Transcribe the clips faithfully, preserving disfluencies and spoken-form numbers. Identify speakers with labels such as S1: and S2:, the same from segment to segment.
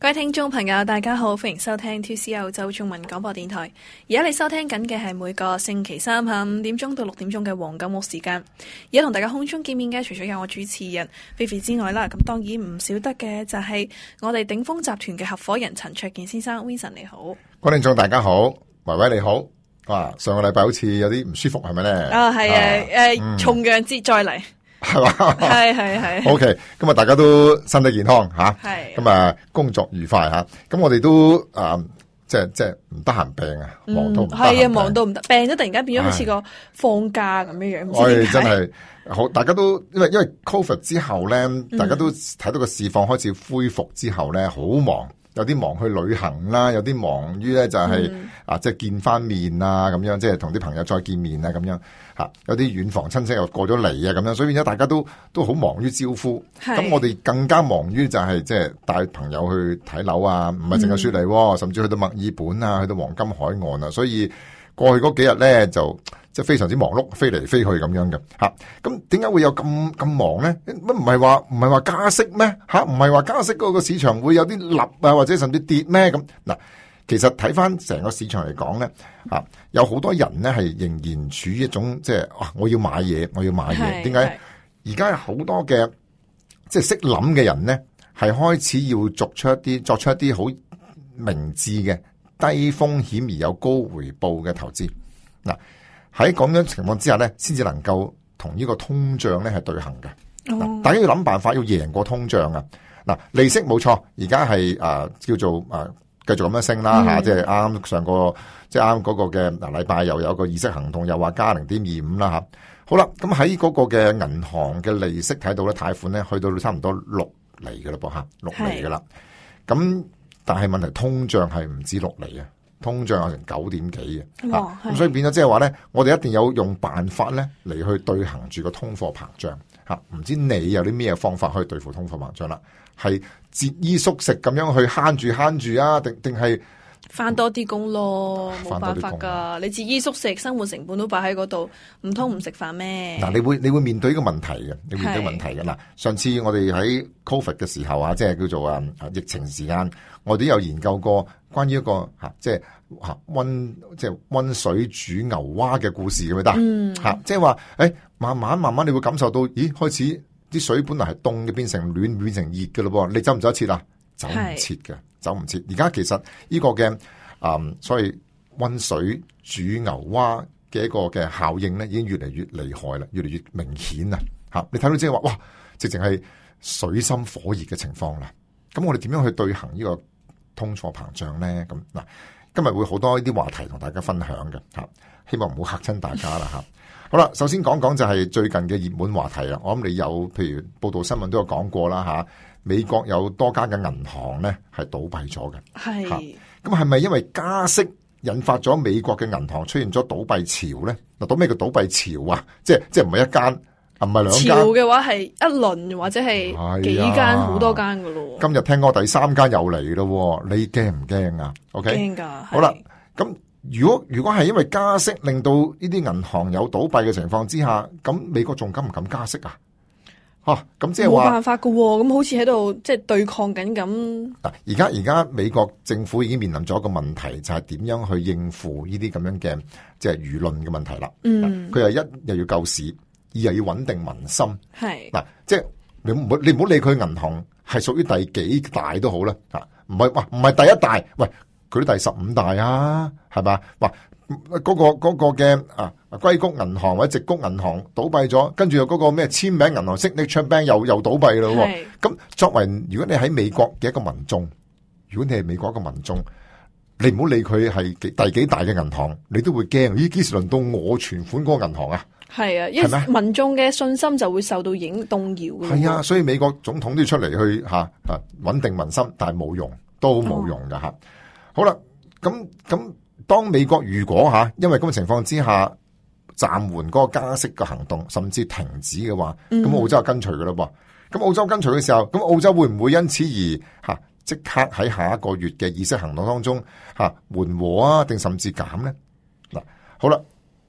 S1: 各位聽眾朋友，大家好，歡迎收聽 two C 澳洲中文廣播電台。而家你收聽緊嘅係每個星期三下午五點鐘到六點鐘嘅黃金屋時間。而家同大家空中見面嘅，除咗有我主持人菲菲之外啦，咁當然唔少得嘅就係我哋鼎豐集團嘅合夥人陳焯楗先生 Vincent， 你好。
S2: 各位聽眾大家好，維維你好。哇，上個禮拜好似有啲唔舒服係咪咧？
S1: 啊係啊，誒重陽節再嚟。
S2: 係嘛？
S1: 係係係。
S2: O K，今日大家都身體健康吓，
S1: 係
S2: 咁啊工作愉快吓。咁我哋都啊，即係即係唔得閒病啊，忙到唔得閒病。係啊，忙到唔得，病咗突然間變咗好似個放假咁樣樣。我哋真係好，大家都因為因為 Covid 之後咧，大家都睇到個市況開始恢復之後咧，好忙。有啲忙去旅行啦，有啲忙於咧就係、是嗯、啊，即係見翻面啊，咁樣即係同啲朋友再見面啊，咁樣吓。有啲遠房親戚又過咗嚟啊，咁樣，所以變咗大家都都好忙於招呼。咁我哋更加忙於就係即係帶朋友去睇樓啊，唔係淨係雪梨、嗯，甚至去到墨爾本啊，去到黃金海岸啊。所以過去嗰幾日咧就即係非常之忙碌，飛嚟飛去咁樣嘅吓。咁點解會有咁咁忙咧？乜唔係話唔係話加息咩？吓，唔係話加息嗰個市場會有啲立啊，或者甚至跌咩？咁嗱，其實睇翻成個市場嚟講咧，吓有好多人咧係仍然處於一種即係啊，我要買嘢，我要買嘢。點解？而家有好多嘅即係識諗嘅人咧，係開始要作出一啲作出一啲好明智嘅低風險而有高回報嘅投資嗱。喺咁樣情況之下咧，先至能夠同呢個通脹咧係對行嘅。Oh. 大家要諗辦法要贏過通脹啊！嗱，利息冇錯，而家係誒叫做誒繼續咁樣升啦吓，即係啱啱上個即係啱嗰個嘅嗱禮拜又有個議息行動，又話加零點二五啦吓。好啦，咁喺嗰個嘅銀行嘅利息睇到咧，貸款咧去到差唔多六厘嘅啦噃吓，六厘嘅啦。咁但係問題通脹係唔止六厘啊。通脹有成九點幾嘅，咁、啊、所以變咗即係話咧，我哋一定有用辦法咧嚟去對行住個通貨膨脹吓。唔知你有啲咩方法可以對付通貨膨脹啦？係節衣縮食咁樣去慳住慳住啊？定定係
S1: 翻多啲工咯？冇辦法噶，你節衣縮食，生活成本都擺喺嗰度，唔通唔食飯咩？嗱，
S2: 你會你會面對呢個問題嘅，你會面對問題嘅嗱。上次我哋喺 Covid 嘅時候啊，即係叫做啊疫情時間，我哋都有研究過關於一個吓，即係吓溫即係溫水煮牛蛙嘅故事，咁咪得？嗯，吓，即係話誒，慢慢慢慢你會感受到，咦，開始啲水本來係凍嘅，變成暖，變成熱嘅咯噃，你走唔走得切啊？走唔切嘅，走唔切。而家其實呢個嘅啊、嗯，所謂溫水煮牛蛙嘅一個嘅效應咧，已經越嚟越厲害啦，越嚟越明顯啦。吓，你睇到即係話，哇，直情係水深火熱嘅情況啦。咁我哋點樣去對行呢個通貨膨脹咧？咁嗱，今日會好多呢啲話題同大家分享嘅吓，希望唔好嚇親大家啦吓。好啦，首先講講就係最近嘅熱門話題啦。我諗你有，譬如報道新聞都有講過啦吓。美國有多間嘅銀行咧係倒閉咗嘅，係咁係咪因為加息引發咗美國嘅銀行出現咗倒閉潮咧？嗱，到咩叫倒閉潮啊？即係即係唔係一間，唔係兩間。潮嘅話係一輪或者係幾間好、哎、多間噶咯。今日聽過第三間又嚟咯，你驚唔驚啊 ？OK，驚噶。好啦，咁如果如果係因為加息令到呢啲銀行有倒閉嘅情況之下，咁美國仲敢唔敢加息啊？吓，咁即係話冇辦法噶，咁好似喺度即係對抗緊咁。嗱，而家而家美國政府已經面臨咗一個問題，就係點樣去應付呢啲咁樣嘅即係輿論嘅問題啦。嗯，佢係一又要救市，二又要穩定民心。係嗱，即係你唔好你唔好理佢銀行係屬於第幾大都好啦。吓，唔係哇，唔係第一大，喂，佢都第十五大啊，係嘛？哇！嗰、那個嗰、那個嘅啊硅谷銀行或者矽谷銀行倒閉咗，跟住又嗰個咩簽名銀行 Signature Bank 又又倒閉咯。咁作為如果你喺美國嘅一個民眾，如果你係美國一個民眾，你唔好理佢係第幾大嘅銀行，你都會驚。咦，幾時輪到我存款嗰個銀行啊？係啊，因為民眾嘅信心就會受到影動搖嘅。係啊，所以美國總統都要出嚟去吓吓穩定民心，但係冇用，都冇用噶吓、哦。好啦，咁咁。當美國如果吓，因為咁嘅情況之下暫緩嗰個加息嘅行動，甚至停止嘅話，咁、嗯、澳洲就跟隨噶啦噃。咁澳洲跟隨嘅時候，咁澳洲會唔會因此而吓即刻喺下一個月嘅議息行動當中吓緩和啊，定甚至減咧？嗱，好啦，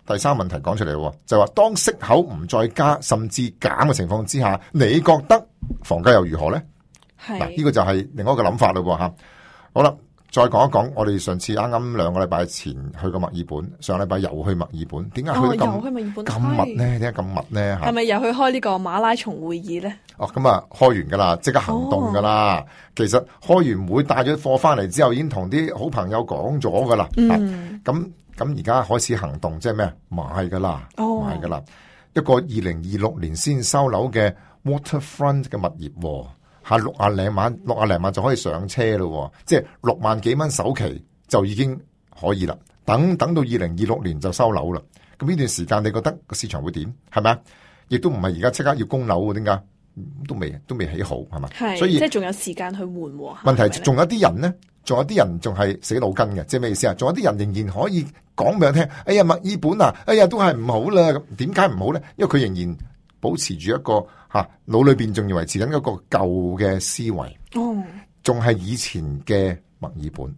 S2: 第三問題講出嚟，就係話當息口唔再加，甚至減嘅情況之下，你覺得房價又如何咧？
S1: 係
S2: 嗱，呢個就係另外一個諗法咯吓。好啦。再講一講，我哋上次啱啱兩個禮拜前去過墨爾本，上禮拜又去墨爾本，點解去得咁咁密咧？點解咁密咧？
S1: 係咪又去開呢個馬拉松會議咧？
S2: 哦，咁啊，開完噶啦，即刻行動噶啦。哦、其實開完會帶咗貨翻嚟之後，已經同啲好朋友講咗噶啦。嗯，咁咁而家開始行動，即係咩？買噶啦，哦、買噶啦。一個二零二六年先收樓嘅 Waterfront 嘅物業。下六啊零萬，六啊零萬就可以上車咯，即係六萬幾蚊首期就已經可以啦。等等到二零二六年就收樓啦。咁呢段時間你覺得個市場會點？係咪啊？亦都唔係而家即刻要供樓喎？點解？都未都未起好係嘛？係，所以即
S1: 係仲有時間去緩和。
S2: 問題仲有啲人咧，仲有啲人仲係死腦筋嘅，即係咩意思啊？仲有啲人仍然可以講俾我聽，哎呀墨爾本啊，哎呀都係唔好啦。咁點解唔好咧？因為佢仍然保持住一個吓腦裏邊仲要維持緊一個舊嘅思維，哦，仲係以前嘅墨爾本。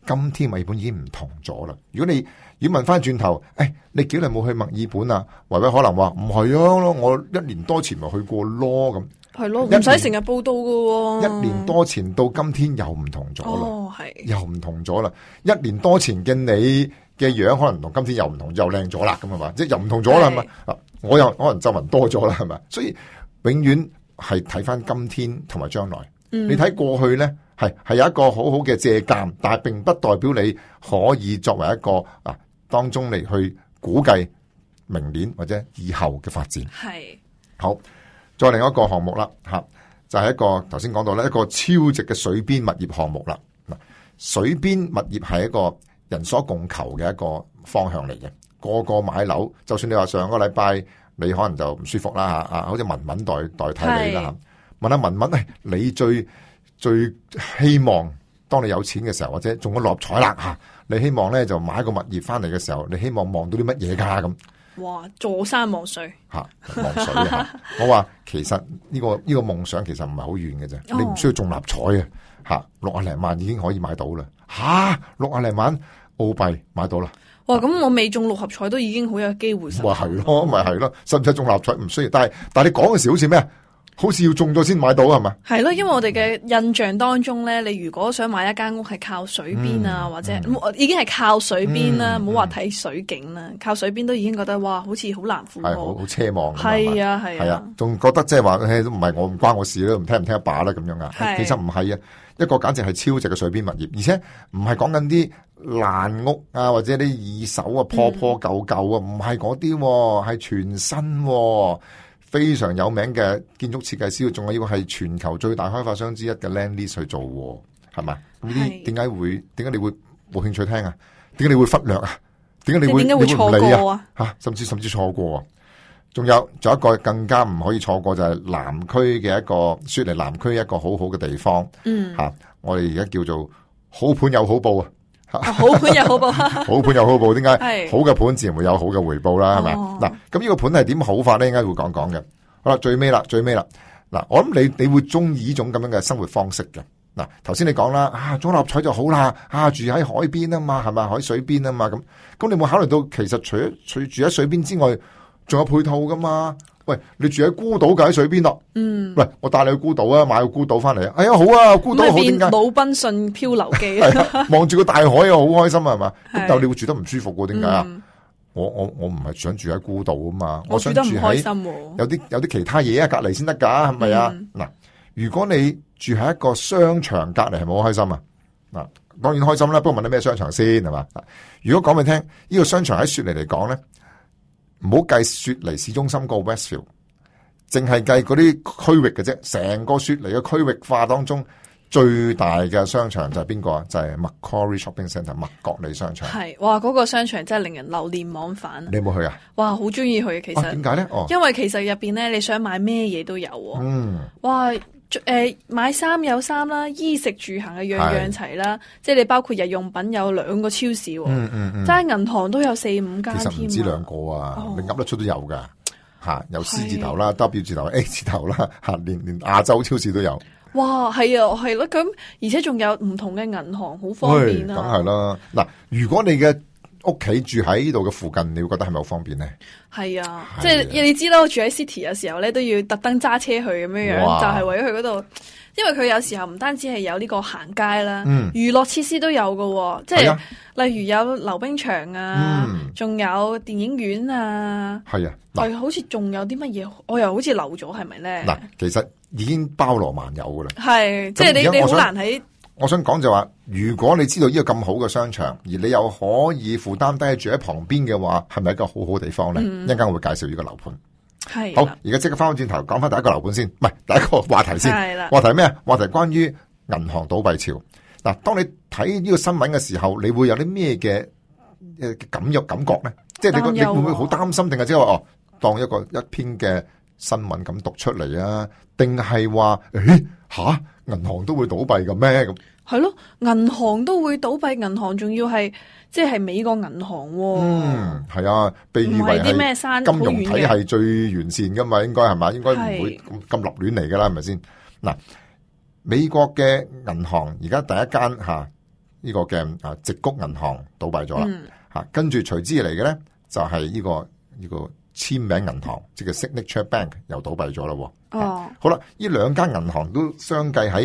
S2: 今天墨爾本已經唔同咗啦。如果你如果問翻轉頭，誒、哎，你幾耐冇去墨爾本啊？維維可能話唔係啊，我一年多前咪去過咯咁。
S1: 係咯，唔使成日報道噶。
S2: 一年多前到今天又唔同咗啦，
S1: 哦係，
S2: 又唔同咗啦。一年多前嘅你嘅樣可能同今天又唔同，又靚咗啦，咁係嘛？即係又唔同咗啦，係咪？啊，我又可能皺紋多咗啦，係咪？所以永遠係睇翻今天同埋將來。嗯、你睇過去咧，係係有一個好好嘅借鑒，但係並不代表你可以作為一個啊當中嚟去估計明年或者以後嘅發展。
S1: 係
S2: 好，再另一個項目啦，吓就係、是、一個頭先講到咧一個超值嘅水邊物業項目啦。嗱，水邊物業係一個人所共求嘅一個方向嚟嘅，個個買樓，就算你話上個禮拜你可能就唔舒服啦吓，啊，好似文文代代替你啦。問下文文，誒，你最最希望當你有錢嘅時候，或者中咗六合彩啦吓，你希望咧就買個物業翻嚟嘅時候，你希望望到啲乜嘢噶咁？
S1: 哇，坐山望水
S2: 吓，望水吓。我話其實呢個呢個夢想其實唔係好遠嘅啫，你唔需要中六合彩嘅吓，六啊零萬已經可以買到啦。吓，六啊零萬澳幣買到啦。
S1: 哇，咁我未中六合彩都已經好有機會。
S2: 咪係咯，咪係咯，使唔使中六合彩唔需要？但係但係你講嘅時好似咩？好似要中咗先買到係嘛？係
S1: 咯，因為我哋嘅印象當中咧，你如果想買一間屋係靠水邊啊，嗯、或者、嗯、已經係靠水邊啦，唔好話睇水景啦，靠水邊都已經覺得哇，好似好難負荷，
S2: 係好好奢望。
S1: 係啊係啊，
S2: 仲覺得即係話，都唔係我唔關我事啦，唔聽唔聽一把啦咁樣啊。其實唔係啊，一個簡直係超值嘅水邊物業，而且唔係講緊啲爛屋啊，或者啲二手啊破破舊舊啊，唔係嗰啲，係全新、啊。非常有名嘅建築設計師，仲要係全球最大開發商之一嘅 Lendlease 去做，係嘛？呢啲點解會？點解你會冇興趣聽啊？點解你會忽略啊？點解你會？
S1: 點解會錯過啊？
S2: 吓，甚至甚至錯過啊！仲有，仲有一個更加唔可以錯過就係南區嘅一個雪梨南區一個好好嘅地方。嗯，吓，我哋而家叫做好盤有好報啊！
S1: 哦、好盤又好報，
S2: 好盤又好報，點解？好嘅盤自然會有好嘅回報啦，係咪？嗱，咁呢個盤係點好法咧？應該會講講嘅。好啦，最尾啦，最尾啦。嗱，我諗你你會中意呢種咁樣嘅生活方式嘅。嗱，頭先你講啦，啊，中六合彩就好啦，啊，住喺海邊啊嘛，係咪？海水邊啊嘛，咁咁你有冇考慮到其實除咗除住喺水邊之外，仲有配套噶嘛？喂，你住喺孤島，就喺水邊咯。嗯。喂，我帶你去孤島啊，買個孤島翻嚟啊。哎呀，好啊，孤島好，點解？
S1: 魯賓遜漂流記。
S2: 望住個大海啊，好開心啊，係嘛？咁但係你會住得唔舒服嘅，點解啊？我我我唔係想住喺孤島啊嘛，我想住喺有啲有啲其他嘢啊隔籬先得噶，係咪啊？嗱、嗯，如果你住喺一個商場隔籬，係咪好開心啊？嗱，當然開心啦。不過問你咩商場先係嘛？如果講俾你聽，呢、這個商場喺雪梨嚟講咧。唔好計雪梨市中心個 Westfield， 淨係計嗰啲區域嘅啫。成個雪梨嘅區域化當中，最大嘅商場就係邊個啊？就係、是、Macquarie Shopping Centre 麥國利商場。係，哇！嗰、那個商場真係令人流連忘返。你有冇去啊？哇，好中意去其實。點解咧？哦，因為其實入邊咧，你想買咩嘢都有。嗯。哇！誒、呃，買衫有衫啦，衣食住行嘅樣樣齊啦，即係你包括日用品有兩個超市，嗯嗯嗯，齋銀行都有四五間添。其實唔止兩個啊，哦、你噏得出都有噶吓，有 C 字頭啦、W 字頭、A 字頭啦，吓連連亞洲超市都有。哇，係啊，係咯，咁而且仲有唔同嘅銀行，好方便啊。梗係啦，嗱，如果你嘅屋企住喺呢度嘅附近，你會覺得係咪好方便咧？
S1: 係啊，即係你知啦，我住喺 City 有時候咧都要特登揸車去咁樣樣，就係為咗去嗰度。因為佢有時候唔單止係有呢個行街啦，嗯、娛樂設施都有㗎，即係、啊、例如有溜冰場啊，仲、嗯、有電影院啊，係啊，係好似仲有啲乜嘢，我又好似漏咗，係咪咧？嗱，
S2: 其實已經包羅萬有噶啦，
S1: 係即係你你好難喺。
S2: 我想講就話，如果你知道呢個咁好嘅商場，而你又可以負擔低住喺旁邊嘅話，係咪一個好好地方咧？一陣間我會介紹呢個樓盤。係好，而家即刻翻返轉頭講翻第一個樓盤先，唔係第一個話題先。係啦，話題咩啊？話題關於銀行倒閉潮。嗱，當你睇呢個新聞嘅時候，你會有啲咩嘅誒感覺感覺咧？即係你個你會唔會好擔心，定係即係話哦，當一個一篇嘅新聞咁讀出嚟啊？定係話誒吓銀行都會倒閉嘅咩？咁係咯，銀行都會倒閉，銀行仲要係。即係美國銀行、哦，嗯，係啊，被譽為係金融體系最完善噶嘛，應該係嘛，應該唔會咁咁立亂嚟噶啦，係咪先？嗱，美國嘅銀行而家第一間吓呢個嘅啊矽谷銀行倒閉咗啦，吓、嗯，跟住隨之而嚟嘅咧就係呢、這個呢、這個簽名銀行，即係 Signature Bank 又倒閉咗啦。哦，好啦，呢兩間銀行都相繼喺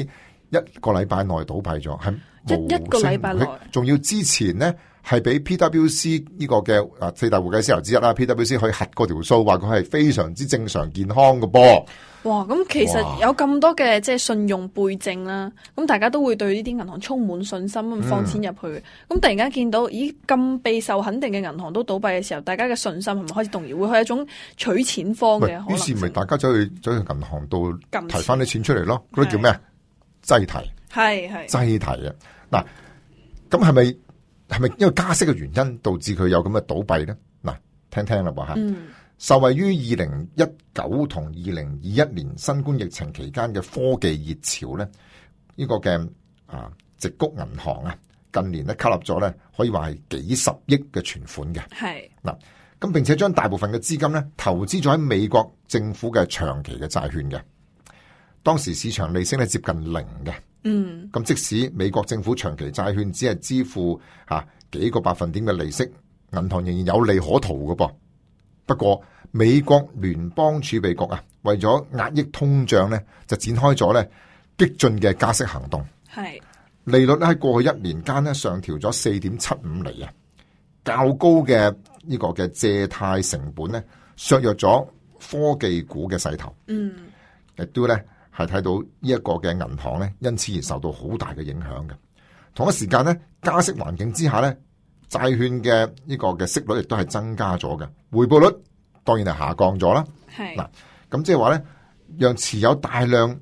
S2: 一個禮拜內倒閉咗，係一一個禮拜內，仲要之前咧。係俾 P W C 呢個嘅啊四大會計師樓之一啦 ，P W C 可以核過條數，話佢係非常之正常健康嘅噃。哇！咁其實有咁多嘅即係信用背證啦，咁大家都會對呢啲銀行充滿信心咁放錢入去。咁、嗯、突然間見到咦咁備受肯定嘅銀行都倒閉嘅時候，大家嘅信心係咪開始動搖？會係一種取錢荒嘅可能。於是咪大家走去走去銀行度提翻啲錢出嚟咯？嗰啲叫咩啊？擠提係係擠提啊！嗱，咁係咪？係咪因為加息嘅原因導致佢有咁嘅倒閉咧？嗱，聽聽啦噃吓，嗯、受惠於二零一九同二零二一年新冠疫情期間嘅科技熱潮咧，呢、呢個嘅啊矽谷銀行啊，近年咧吸納咗咧，可以話係幾十億嘅存款嘅。係嗱，咁並且將大部分嘅資金咧投資咗喺美國政府嘅長期嘅債券嘅，當時市場利息咧接近零嘅。嗯，咁即使美國政府長期債券只係支付吓、啊、幾個百分點嘅利息，銀行仍然有利可圖嘅噃。不過美國聯邦儲備局啊，為咗壓抑通脹咧，就展開咗咧激進嘅加息行動。係利率咧喺過去一年間咧上調咗四點七五厘啊，較高嘅呢個嘅借貸成本咧削弱咗科技股嘅勢頭。嗯，亦都咧。係睇到呢一個嘅銀行咧，因此而受到好大嘅影響嘅。同一時間咧，加息環境之下咧，債券嘅呢個嘅息率亦都係增加咗嘅，回報率當然係下降咗啦。係嗱，咁即係話咧，讓持有大量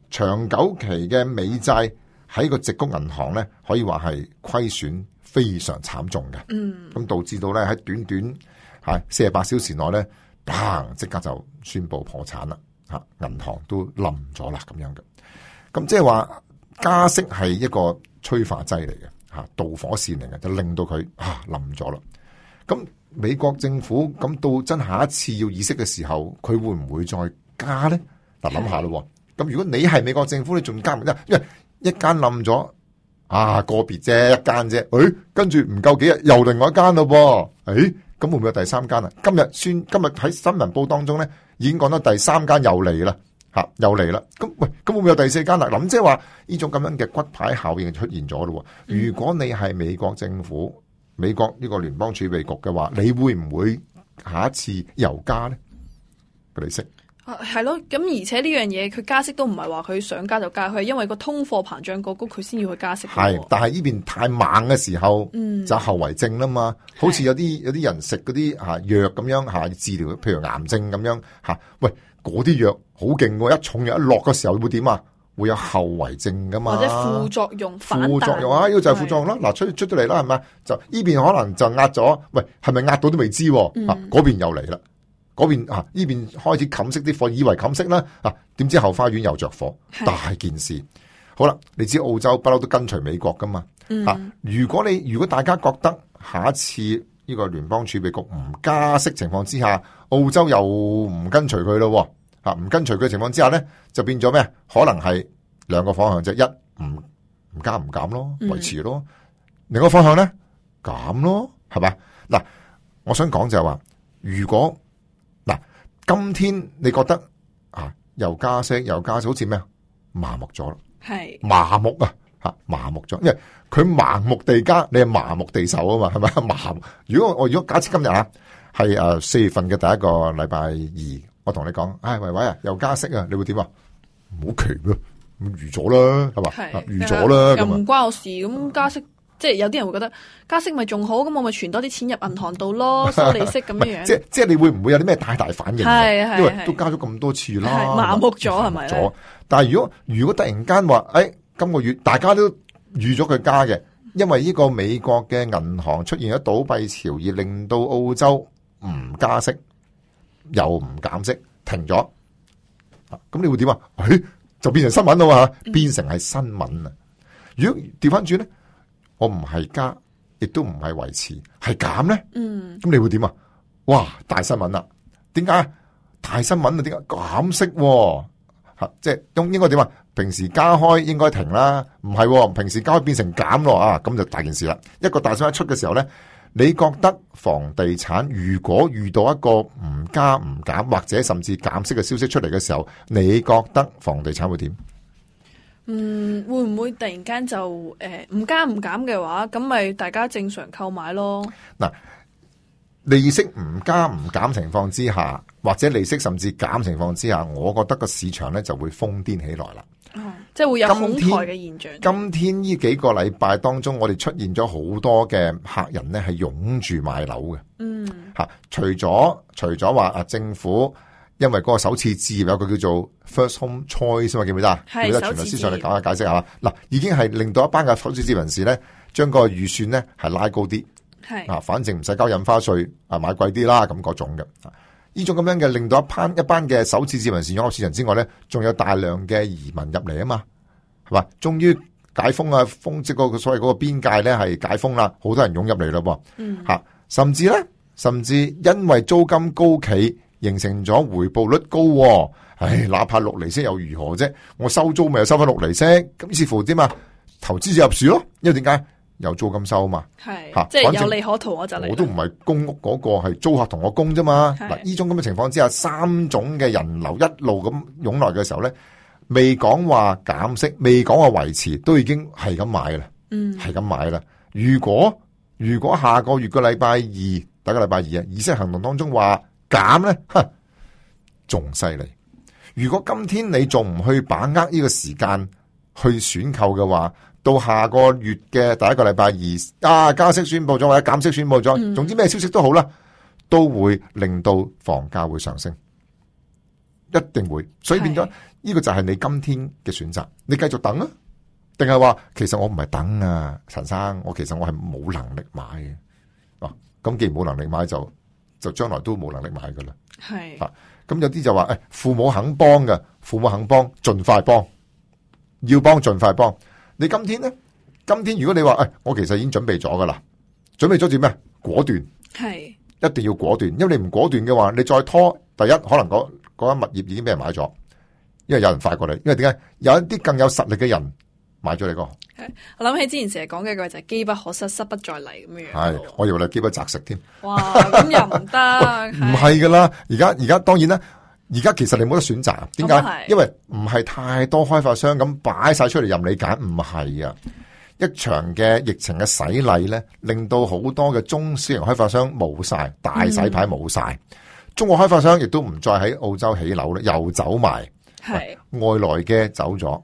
S2: 長久期嘅美債喺個矽谷銀行咧，可以話係虧損非常慘重嘅。嗯，咁導致到咧喺短短係四十八小時內咧，砰即刻就宣布破產啦。銀行都冧咗啦，咁樣嘅，咁即係話加息係一個催化劑嚟嘅，吓導火線嚟嘅，就令到佢啊冧咗啦。咁美國政府咁到真下一次要議息嘅時候，佢會唔會再加咧？嗱，諗下咯。咁如果你係美國政府，你仲加唔加？因為一間冧咗啊，個別啫，一間啫。誒、哎，跟住唔夠幾日又另外一間咯噃。誒、哎，咁會唔會有第三間啊？今日宣今日喺新聞報當中咧。已經講到第三間又嚟啦，吓又嚟啦。咁喂，咁會唔會有第四間啦？咁即係話呢種咁樣嘅骨牌效應出現咗咯。如果你係美國政府、美國呢個聯邦儲備局嘅話，你會唔會下一次又加咧？個利息啊，係咯。咁而且呢樣嘢，佢加息都唔係話佢想加就加，佢係因為個通貨膨脹過高，佢先要去加息。係，但係呢邊太猛嘅時候，嗯、就後遺症啦嘛。好似有啲有啲人食嗰啲吓藥咁樣吓治療，譬如癌症咁樣吓。喂，嗰啲藥好勁喎，一重藥一落嘅時候會點啊？會有後遺症噶嘛？或者副作用反彈？副作用啊，呢個就係副作用啦。嗱，出出咗嚟啦，係咪？就呢邊可能就壓咗，喂，係咪壓到都未知？嗯、啊，嗰邊又嚟啦。嗰邊啊，呢邊開始冚熄啲火，以為冚熄啦，啊，點知後花園又着火，大件事。好啦，你知澳洲不嬲都跟隨美國噶嘛？嗯、啊，如果你如果大家覺得下一次呢個聯邦儲備局唔加息情況之下，澳洲又唔跟隨佢咯，啊，唔跟隨佢情況之下咧，就變咗咩？可能係兩個方向啫，一唔唔加唔減咯，維持咯；嗯、另一個方向咧減咯。係嘛？嗱，我想講就係話，如果嗱今天你覺得啊又加息又加息，好似咩啊麻木咗啦，係麻木啊吓麻木咗，因為佢盲目地加，你係麻木地受啊嘛，係咪麻木？如果我如果假設今日啊係誒四月份嘅第一個禮拜二，我同你講，唉維維啊又加息啊，你會點啊？唔好奇咯，預咗啦，係嘛？預咗啦，
S1: 又唔關我事，咁加息。即係有啲人會覺得加息咪仲好，咁我咪存多啲錢入銀行度咯，收利息咁樣樣。即係
S2: 即係你會唔會有啲咩大大反應？
S1: 係係，
S2: 因為都加咗咁多次啦，
S1: 麻木咗係咪咧？
S2: 但係如果如果突然間話，誒、哎，今個月大家都預咗佢加嘅，因為呢個美國嘅銀行出現咗倒閉潮，而令到澳洲唔加息又唔減息，停咗，咁你會點啊？誒、哎，就變成新聞啦嘛，變成係新聞啊！如果調翻轉咧？我唔係加，亦都唔係維持，係減咧。嗯，咁你會點啊？哇，大新聞啦！點解大新聞啊？點解減息？吓，即係應應該點啊？平時加開應該停啦，唔係，平時加開變成減咯啊！咁就大件事啦。一個大新聞出嘅時候咧，你覺得房地產如果遇到一個唔加唔減或者甚至減息嘅消息出嚟嘅時候，你覺得房地產會點？
S1: 嗯，會唔會突然間就誒唔加唔減嘅話，咁咪大家正常購買咯？嗱，
S2: 利息唔加唔減情況之下，或者利息甚至減情況之下，我覺得個市場咧就會瘋癲起來啦。
S1: 嗯，即係會有恐懼嘅現象。
S2: 今天呢幾個禮拜當中，我哋出現咗好多嘅客人咧係湧住買樓嘅。嗯，吓，除咗除咗話啊政府。因為嗰個首次置業有個叫做 First Home Choice 嘛，記唔記得啊？記得全律師上嚟講下解釋下。嗱，已經係令到一班嘅首次置業人士咧，將個預算咧係拉高啲。係啊，反正唔使交印花稅啊，買貴啲啦，咁嗰種嘅。呢種咁樣嘅令到一班一班嘅首次置業人士湧入市場之外咧，仲有大量嘅移民入嚟啊嘛，係嘛？終於解封啊，封即係個所謂嗰個邊界咧係解封啦，好多人湧入嚟咯噃。嗯，吓，甚至咧，甚至因為租金高企。形成咗回報率高，哦，唉，哪怕六厘息又如何啫？我收租咪又收翻六厘息，咁似乎點啊？投資就入市咯，因為點解有租金收啊嘛？係
S1: 吓，即係有利可圖我就嚟。
S2: 我都唔係公屋嗰個，係租客同我供啫嘛。嗱，呢種咁嘅情況之下，三種嘅人流一路咁湧來嘅時候咧，未講話減息，未講話維持，都已經係咁買啦。嗯，係咁買啦。如果如果下個月個禮拜二，第一個禮拜二啊，議息行動當中話。減咧，哼，仲犀利！如果今天你仲唔去把握呢個時間去選購嘅話，到下個月嘅第一個禮拜二啊，加息宣布咗或者減息宣布咗，嗯、總之咩消息都好啦，都會令到房價會上升，一定會。所以變咗呢個就係你今天嘅選擇，你繼續等啊，定係話其實我唔係等啊，陳生，我其實我係冇能力買嘅。哦、啊，咁既然冇能力買就。就將來都冇能力買噶啦，係啊，咁有啲就話誒，父母肯幫嘅，父母肯幫，盡快幫，要幫盡快幫。你今天咧，今天如果你話誒、哎，我其實已經準備咗噶啦，準備咗做咩？果斷，係一定要果斷，因為你唔果斷嘅話，你再拖，第一可能嗰嗰間物業已經俾人買咗，因為有人快過你，因為點解？有一啲更有實力嘅人買咗你個。
S1: 我諗起之前成日講嘅句就係機不可失，失不再嚟咁樣樣。係，
S2: 我以為你機不擇食添。
S1: 哇，咁又唔得。
S2: 唔係噶啦，而家而家當然啦，而家其實你冇得選擇。點解？因為唔係太多開發商咁擺晒出嚟任你揀，唔係啊。一場嘅疫情嘅洗禮咧，令到好多嘅中小型開發商冇晒，大洗牌冇晒。嗯、中國開發商亦都唔再喺澳洲起樓咧，又走埋。係外來嘅走咗。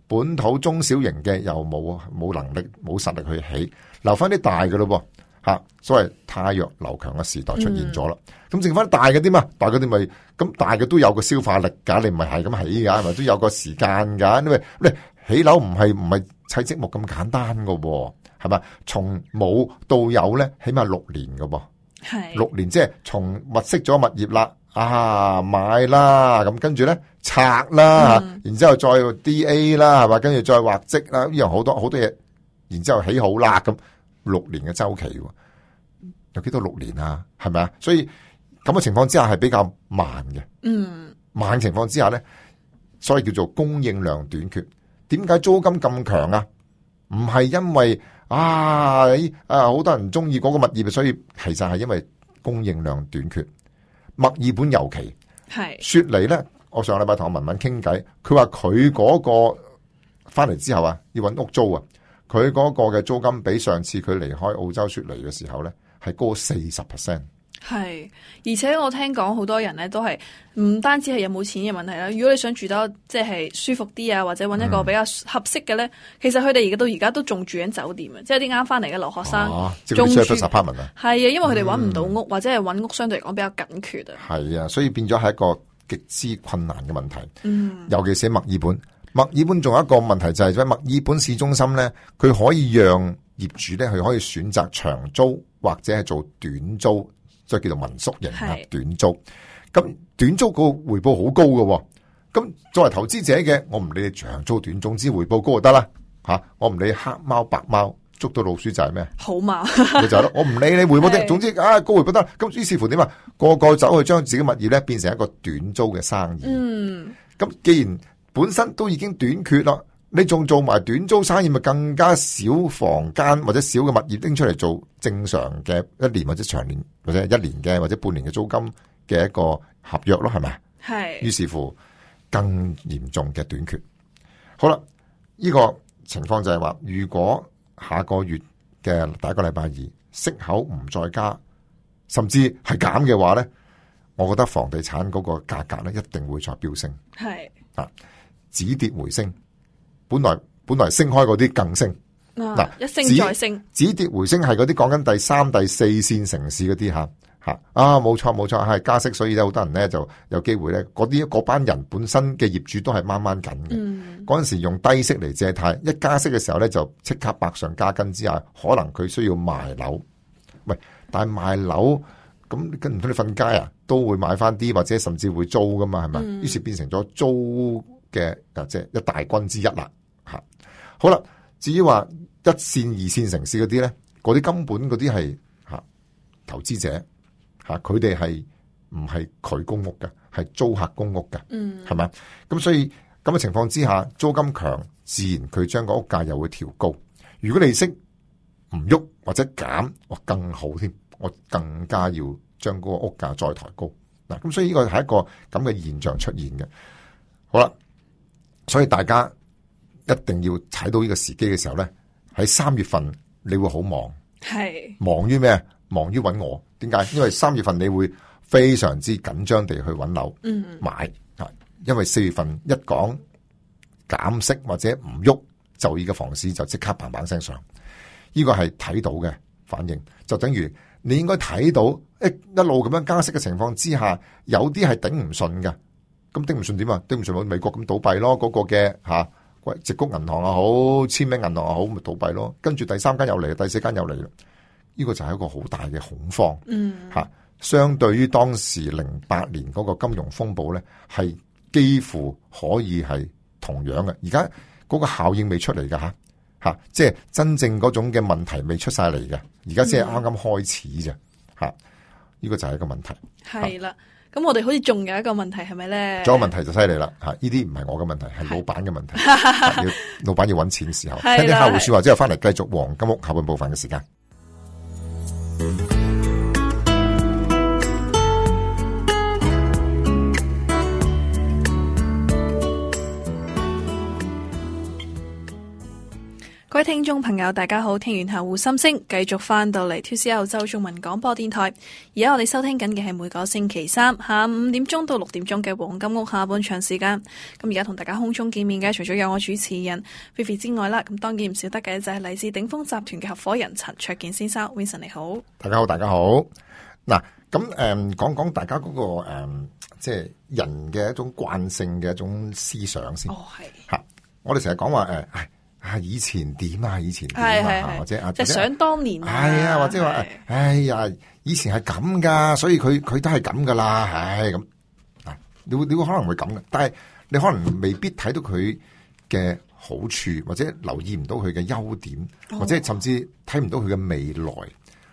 S2: 本土中小型嘅又冇冇能力冇實力去起，留翻啲大嘅咯噃吓，所謂汰弱留強嘅時代出現咗啦。咁、嗯、剩翻大嘅啲嘛，大嘅啲咪咁大嘅都有個消化力噶，你唔係係咁起噶，係咪都有個時間噶？因為你起樓唔係唔係砌積木咁簡單噶，係咪？從冇到有咧，起碼六年噶噃，係六年即係從物色咗物業啦。啊買啦，咁跟住咧拆啦，嗯、然之後再 D A 啦，係嘛，跟住再畫則啦，呢樣好多好多嘢，然之後起好啦，咁六年嘅周期，有幾多六年啊？係咪啊？所以咁嘅情況之下係比較慢嘅，嗯，慢情況之下咧，所以叫做供應量短缺。點解租金咁強啊？唔係因為啊，啊好多人中意嗰個物業，所以其實係因為供應量短缺。墨爾本尤其
S1: 係
S2: 雪梨咧，我上個禮拜同阿文文傾偈，佢話佢嗰個翻嚟之後啊，要揾屋租啊，佢嗰個嘅租金比上次佢離開澳洲雪梨嘅時候咧係高四十 percent。
S1: 係，而且我聽講好多人咧都係唔單止係有冇錢嘅問題啦。如果你想住得即係舒服啲啊，或者揾一個比較合適嘅咧，嗯、其實佢哋而家到而家都仲住緊酒店啊，即係啲啱翻嚟嘅留學生，仲、啊、住 apartment 啊。係啊，因為佢哋揾唔到屋，嗯、或者係揾屋相對嚟講比較緊缺啊。係
S2: 啊，所以變咗係一個極之困難嘅問題。
S1: 嗯，
S2: 尤其是墨爾本，墨爾本仲有一個問題就係喺墨爾本市中心咧，佢可以讓業主咧，佢可以選擇長租或者係做短租。即係叫做民宿型啊，短租。咁短租個回報好高嘅，咁作為投資者嘅，我唔理你長租短，總之回報高就得啦吓。我唔理黑貓白貓，捉到老鼠就係咩？好貓咪就係咯。我唔理你回報的，總之啊高回報得。咁於是乎點啊？個個走去將自己物業咧變成一個短租嘅生意。嗯。咁既然本身都已經短缺啦。你仲做埋短租生意，咪更加少房間或者少嘅物業拎出嚟做正常嘅一年或者長年或者一年嘅或者半年嘅租金嘅一個合約咯，係咪？係。於是乎更嚴重嘅短缺。好啦，呢個情況就係話，如果下個月嘅第一個禮拜二息口唔再加，甚至係減嘅話咧，我覺得房地產嗰個價格咧一定會再飆升。係啊，止跌回升。本來本來升開嗰啲更升，嗱、啊、一升再升，止跌回升係嗰啲講緊第三、第四線城市嗰啲吓吓啊，冇錯冇錯，係加息，所以咧好多人咧就有機會咧，嗰啲嗰班人本身嘅業主都係掹掹緊嘅。嗯，嗰陣時用低息嚟借貸，一加息嘅時候咧就即刻百上加斤之下，可能佢需要賣樓。喂，但係賣樓咁跟唔到你瞓街啊，都會買翻啲或者甚至會租噶嘛，係咪？於、嗯、是變成咗租嘅即係一大軍之一啦。吓，好啦，至於話一線、二線城市嗰啲咧，嗰啲根本嗰啲係吓投資者吓，佢哋係唔係佢公屋嘅，係租客公屋嘅，嗯，係咪？咁所以咁嘅情況之下，租金強，自然佢將個屋價又會調高。如果利息唔喐或者減，我更好添，我更加要將嗰個屋價再抬高。嗱，咁所以呢個係一個咁嘅現象出現嘅。好啦，所以大家一定要睇到呢個時機嘅時候咧，喺三月份你會好忙，係忙於咩？忙於揾我。點解？因為三月份你會非常之緊張地去揾樓，嗯，買啊。因為四月份一講減息或者唔喐，就依個房市就即刻砰砰聲上。呢個係睇到嘅反應，就等於你應該睇到一一路咁樣加息嘅情況之下，有啲係頂唔順嘅。咁頂唔順點啊？頂唔順美國咁倒閉咯，嗰、那個嘅吓。矽谷銀行又好，簽名銀行又好，咪倒閉咯。跟住第三間又嚟，第四間又嚟啦。呢個就係一個好大嘅恐慌。嗯，吓，相對於當時零八年嗰個金融風暴咧，係幾乎可以係同樣嘅。而家嗰個效應未出嚟噶吓，吓，即係真正嗰種嘅問題未出晒嚟嘅。而家先係啱啱開始啫。吓、嗯，呢個就係一個問題。係啦。咁我哋好似仲有一個問題係咪咧？仲有問題就犀利啦吓！呢啲唔係我嘅問題，係老闆嘅問題。要老闆要揾錢嘅時候，聽啲客戶說話之後，翻嚟繼續黃金屋下半部分嘅時間。
S1: 各位聽眾朋友，大家好！聽完客戶心聲，繼續翻到嚟 two C R 澳洲中文廣播電台。而家我哋收聽緊嘅係每個星期三下午五點鐘到六點鐘嘅黃金屋下半場時間。咁而家同大家空中見面嘅，除咗有我主持人 Vivi 之外啦，咁當然唔少得嘅就係嚟自鼎豐集團嘅合夥人陳焯楗先生 Vincent， 你好。
S2: 大家好，大家好。嗱，咁誒講講大家嗰、那個誒、嗯，即係人嘅一種慣性嘅一種思想先。哦，係吓，我哋成日講話誒。啊！以前點啊？以前點啊？或者啊，
S1: 即係想當年啊，
S2: 係啊，或者話，哎呀，以前係咁噶，所以佢佢都係咁噶啦，唉咁啊，你會你會可能會咁嘅，但係你可能未必睇到佢嘅好處，或者留意唔到佢嘅優點，或者甚至睇唔到佢嘅未來。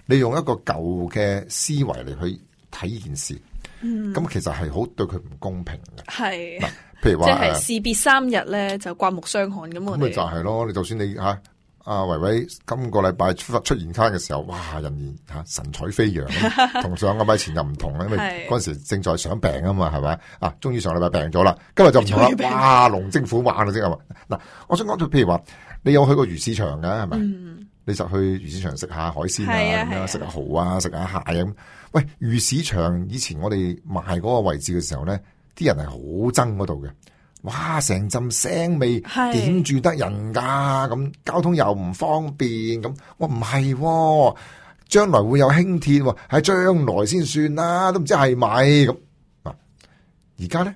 S2: 你用一個舊嘅思維嚟去睇呢件事，咁、嗯、其實係好對佢唔公平嘅。係。譬如話，
S1: 即係士別三日咧，就刮目相看咁。咁咪
S2: 就係咯，你就算你吓阿維維今個禮拜出出現卡嘅時候，哇，人言吓神采飛揚，同上個禮拜前又唔同啦，因為嗰陣時正在想病啊嘛，係咪啊？終於上禮拜病咗啦，今日就唔同啦，哇，龍精虎猛啦，即係嘛。嗱，我想講到譬如話，你有去過魚市場嘅係咪？嗯、你就去魚市場食下海鮮啊，咁樣食下蠔啊，食下蟹咁。喂，魚市場以前我哋賣嗰個位置嘅時候咧，啲人係好憎嗰度嘅。哇！成陣腥味，點住得人噶？咁交通又唔方便，咁我唔係，將來會有輕鐵，喺將來先算啦，都唔知係咪咁。嗱，而家咧，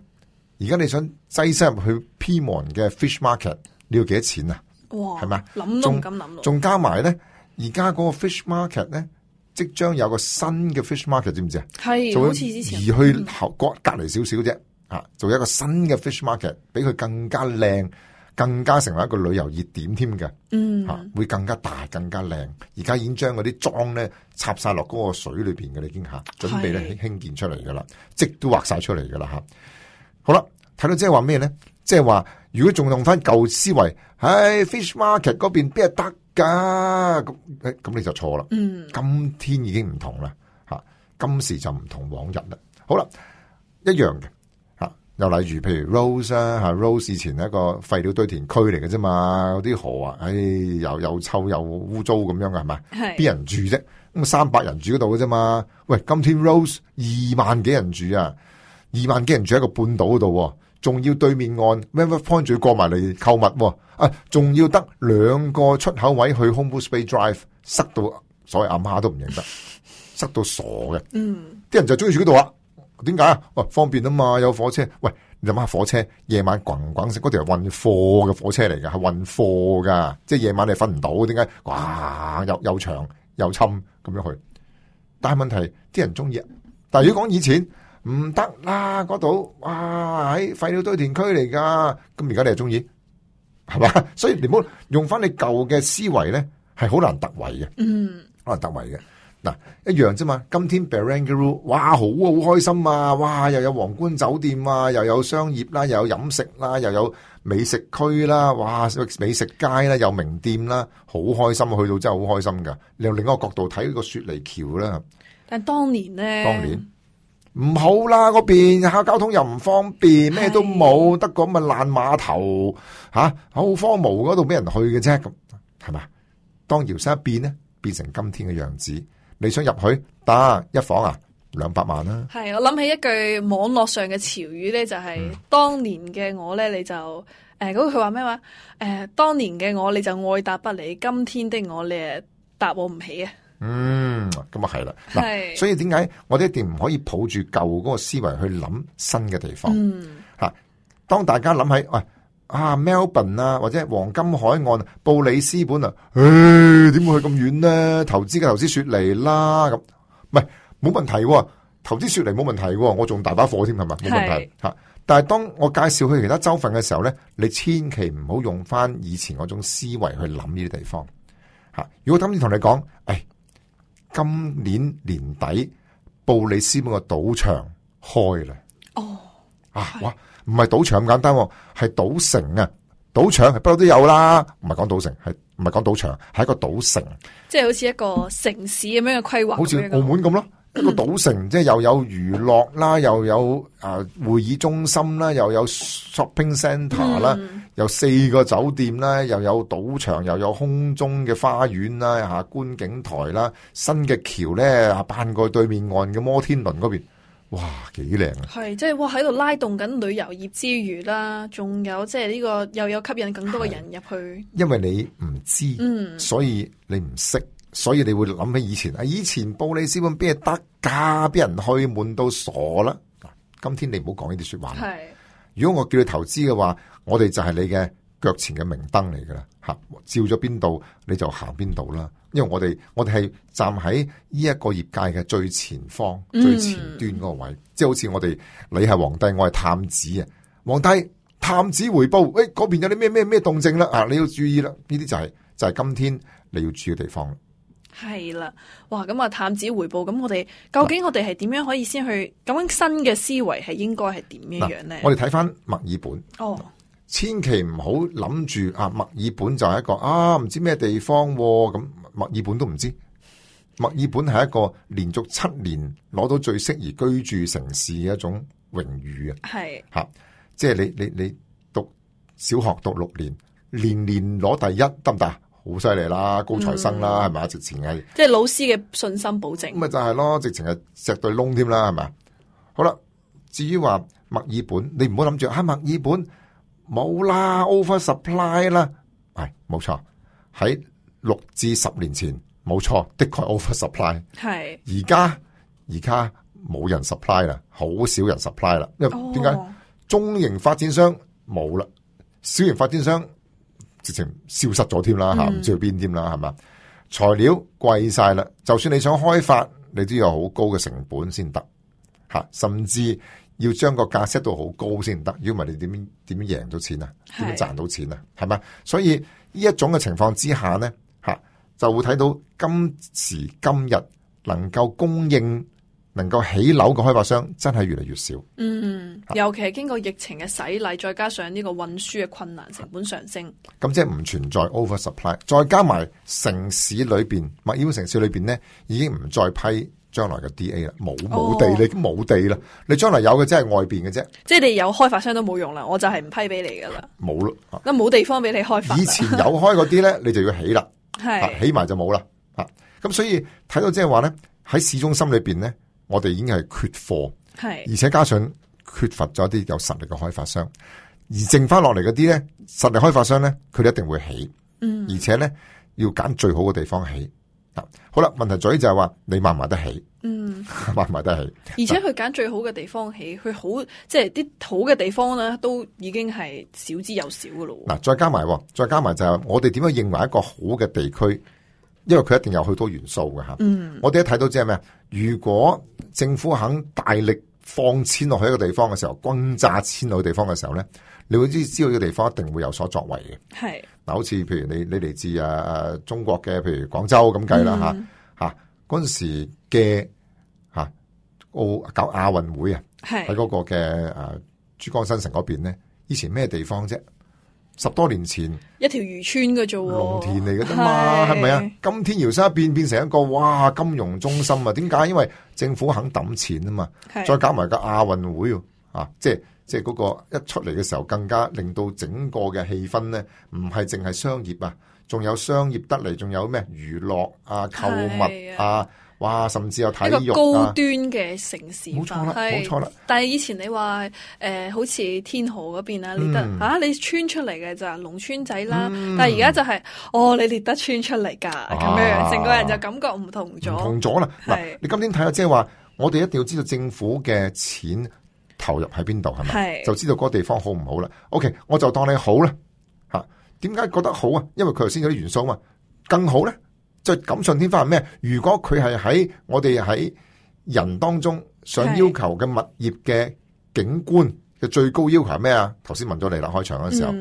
S2: 而家你想擠塞入去 Pyrmont 嘅 Fish Market， 你要幾多錢啊？哇！係咪？
S1: 諗都唔敢諗。
S2: 仲加埋咧，而家嗰個 Fish Market 咧，即將有個新嘅 Fish Market， 知唔知啊？係，好似之前移去後隔隔籬少少啫。啊，做一個新嘅 fish market， 比佢更加靚，更加成為一個旅遊熱點添嘅。嗯，吓、啊、會更加大，更加靚。而家已經將嗰啲樁咧插晒落嗰個水裏邊嘅，已經吓準備咧興建出嚟噶啦，積都畫晒出嚟噶啦吓。好啦，睇到即係話咩咧？即係話如果仲用翻舊思維，唉 fish market 嗰邊邊係得噶？咁咁你就錯啦。嗯，今天已經唔同啦，吓、啊、今時就唔同往日啦。好啦，一樣嘅。又例如，譬如 Rose 啊，吓 Rose 以前係一個廢料堆填區嚟嘅啫嘛，嗰啲河啊，唉，又又臭又污糟咁樣嘅係咪？係邊人住啫？咁三百人住嗰度嘅啫嘛。喂，今天 Rose 二萬幾人住啊，二萬幾人住喺個半島嗰度，仲要對面岸 River Point 仲要過埋嚟購物，啊，仲要得兩個出口位去 Homebush Bay Drive， 塞到所謂阿媽都唔認得，塞到傻嘅。嗯，啲人就中意住嗰度啊。點解啊？喂，方便啊嘛，有火車。喂，你諗下火車夜晚滾滾聲，嗰條係運貨嘅火車嚟㗎，係運貨噶，即係夜晚你瞓唔到。點解？哇，又又長又侵咁樣去。但係問題，啲人中意。但係如果講以前唔得啦，嗰度哇喺廢料堆填區嚟噶，咁而家你係中意，係嘛？所以你唔好用翻你舊嘅思維咧，係好難突圍嘅。嗯，好難突圍嘅。嗱，一樣啫嘛。今天 Barangaroo， 哇，好好開心啊！哇，又有皇冠酒店啊，又有商業啦，又有飲食啦，又有美食區啦，哇，美食街啦，有名店啦，好開心啊！去到真係好開心噶。你由另一個角度睇個雪梨橋啦。但係當年咧，當年唔好啦，嗰邊下交通又唔方便，咩都冇，得個咁嘅爛碼頭吓，好荒蕪嗰度俾人去嘅啫，咁係嘛？當搖身一變咧，變成今天嘅樣子。你想入去得一房啊？兩百萬啦。係，我諗起一句網絡上嘅潮語咧，就係、是嗯、當年嘅我咧，你就誒嗰個佢話咩話？誒、呃，當年嘅我你就愛答不理，今天的我你誒答我唔起啊。嗯，咁啊係啦。嗱，所以點解我哋一定唔可以抱住舊嗰個思維去諗新嘅地方？嗯，吓，當大家諗起喂。啊 Melbourne 啊，或者黃金海岸、布里斯本啊，誒，點會去咁遠呢？投資嘅投資雪梨啦，咁唔係冇問題喎，投資雪梨冇問題喎，我仲大把貨添，係咪？冇問題吓。但係當我介紹去其他州份嘅時候咧，你千祈唔好用翻以前嗰種思維去諗呢啲地方吓。如果今次同你講，誒，今年年底布里斯本個賭場開啦，哦，啊，哇！唔係賭場咁簡單，係賭城啊！賭場係不嬲都有啦，唔係講賭城，係唔係講賭場，係一個賭城，即係好似一個城市咁樣嘅規劃，好似澳門咁咯，一個賭城，嗯、即係又有娛樂啦，又有啊會議中心啦，又有 shopping centre 啦，嗯，有四個酒店啦，又有賭場，又有空中嘅花園啦，吓觀景台啦，新嘅橋咧啊，搬過對面岸嘅摩天輪嗰邊。哇，幾靚啊！係，即係哇喺度拉動緊旅遊業之餘啦，仲有即係呢個又有吸引更多嘅人入去。因為你唔知，嗯，所以你唔識，所以你會諗起以前啊，以前布里斯本邊係得噶，俾人去悶到傻啦。今天你唔好講呢啲說話。係，如果我叫你投資嘅話，我哋就係你嘅腳前嘅明燈嚟噶啦，吓，照咗邊度你就行邊度啦。因為我哋我哋係站喺呢一個業界嘅最前方、嗯、最前端嗰個位，即係好似我哋你係皇帝，我係探子啊！皇帝探子回報，誒嗰邊有啲咩咩咩動靜啦啊！你要注意啦，呢啲就係、是、就係、是、今天你要注意嘅地方。係啦，哇！咁啊，探子回報，咁我哋究竟我哋係點樣可以先去咁樣新嘅思維係應該係點樣樣咧？我哋睇翻墨爾本哦，千祈唔好諗住啊墨爾本就係一個啊唔知咩地方咁、啊，墨爾本都唔知。墨爾本係一個連續七年攞到最適宜居住城市嘅一種榮譽啊！係吓，即係你你你讀小學讀六年，年年攞第一得唔得？好犀利啦，高材生啦，係咪啊？直情係
S1: 即係老師嘅信心保證。咁
S2: 咪就係咯，直情係石對窿添啦，係咪？好啦，至於話墨爾本，你唔好諗住喺墨爾本冇啦 ，over supply 啦，係冇錯。喺六至十年前，冇錯，的確 over supply。係而家而家冇人 supply 啦，好少人 supply 啦。因為點解？哦、中型發展商冇啦，小型發展商直情消失咗添啦吓，唔、嗯、知去邊添啦，係嘛？材料貴晒啦，就算你想開發，你都有好高嘅成本先得吓，甚至要將個價 set 到好高先得。如果唔係，你點樣點樣贏到錢啊？點樣賺到錢啊？係嘛？所以呢一種嘅情況之下呢，吓就會睇到今時今日能夠供應、能夠起樓嘅開發商真係越嚟越少。嗯，
S1: 尤其係經過疫情嘅洗禮，再加上呢個運輸嘅困難，成本上升，
S2: 咁即係唔存在 over supply。再加埋城市裏邊，墨爾本城市裏邊呢，已經唔再批將來嘅 D A 啦，冇冇地，你已經冇地啦。你將來有嘅即係外邊嘅啫，
S1: 即係你有開發商都冇用啦，我就係唔批俾你噶啦，
S2: 冇咯，
S1: 咁冇地方俾你開發。
S2: 以前有開嗰啲咧，你就要起啦，係起埋就冇啦。吓，咁所以睇到即係話咧，喺市中心裏邊咧，我哋已經係缺貨，係而且加上缺乏咗一啲有實力嘅開發商，而剩翻落嚟嗰啲咧，實力開發商咧，佢哋一定會起，嗯，而且咧要揀最好嘅地方起。好啦，問題在於就係話你買唔買得起？嗯，買唔買得起？
S1: 而且佢揀最好嘅地方起，佢好即係啲好嘅地方咧，都已經係少之又少噶咯。
S2: 嗱，再加埋，再加埋就係我哋點樣認為一個好嘅地區？因為佢一定有好多元素嘅吓。嗯，我哋一睇到即係咩？如果政府肯大力放錢落去一個地方嘅時候，轟炸錢落去地方嘅時候咧，你會知知道呢個地方一定會有所作為嘅。係嗱，好似譬如你你嚟自啊中國嘅，譬如廣州咁計啦吓吓，嗰陣時嘅吓奧搞亞運會啊，喺嗰個嘅誒珠江新城嗰邊咧，以前咩地方啫？十多年前
S1: 一條漁村嘅啫，
S2: 農田嚟嘅啫嘛，係咪啊？今天搖身一變變成一個哇金融中心啊？點解？因為政府肯抌錢啊嘛，再搞埋個亞運會啊，即係即係嗰個一出嚟嘅時候，更加令到整個嘅氣氛咧，唔係淨係商業啊，仲有商業得嚟，仲有咩娛樂啊、購物啊。哇！甚至有體育啊，一個
S1: 高端嘅城市化，
S2: 冇錯啦，冇錯啦。
S1: 但係以前你話誒、呃，好似天河嗰邊啊，獵德、嗯、啊，你村出嚟嘅咋，農村仔啦。嗯、但係而家就係、是，哦，你獵德村出嚟噶，咁、啊、樣，成個人就感覺唔同咗，唔
S2: 同咗啦。嗱，你今天睇下，即係話，我哋一定要知道政府嘅錢投入喺邊度，係咪？就知道嗰個地方好唔好啦。OK，我就當你好啦。吓，點解覺得好啊？因為佢頭先有啲元素嘛，更好咧。即係錦上添花係咩？如果佢係喺我哋喺人當中想要求嘅物業嘅景觀嘅最高要求係咩啊？頭先問咗你啦，開場嘅時候，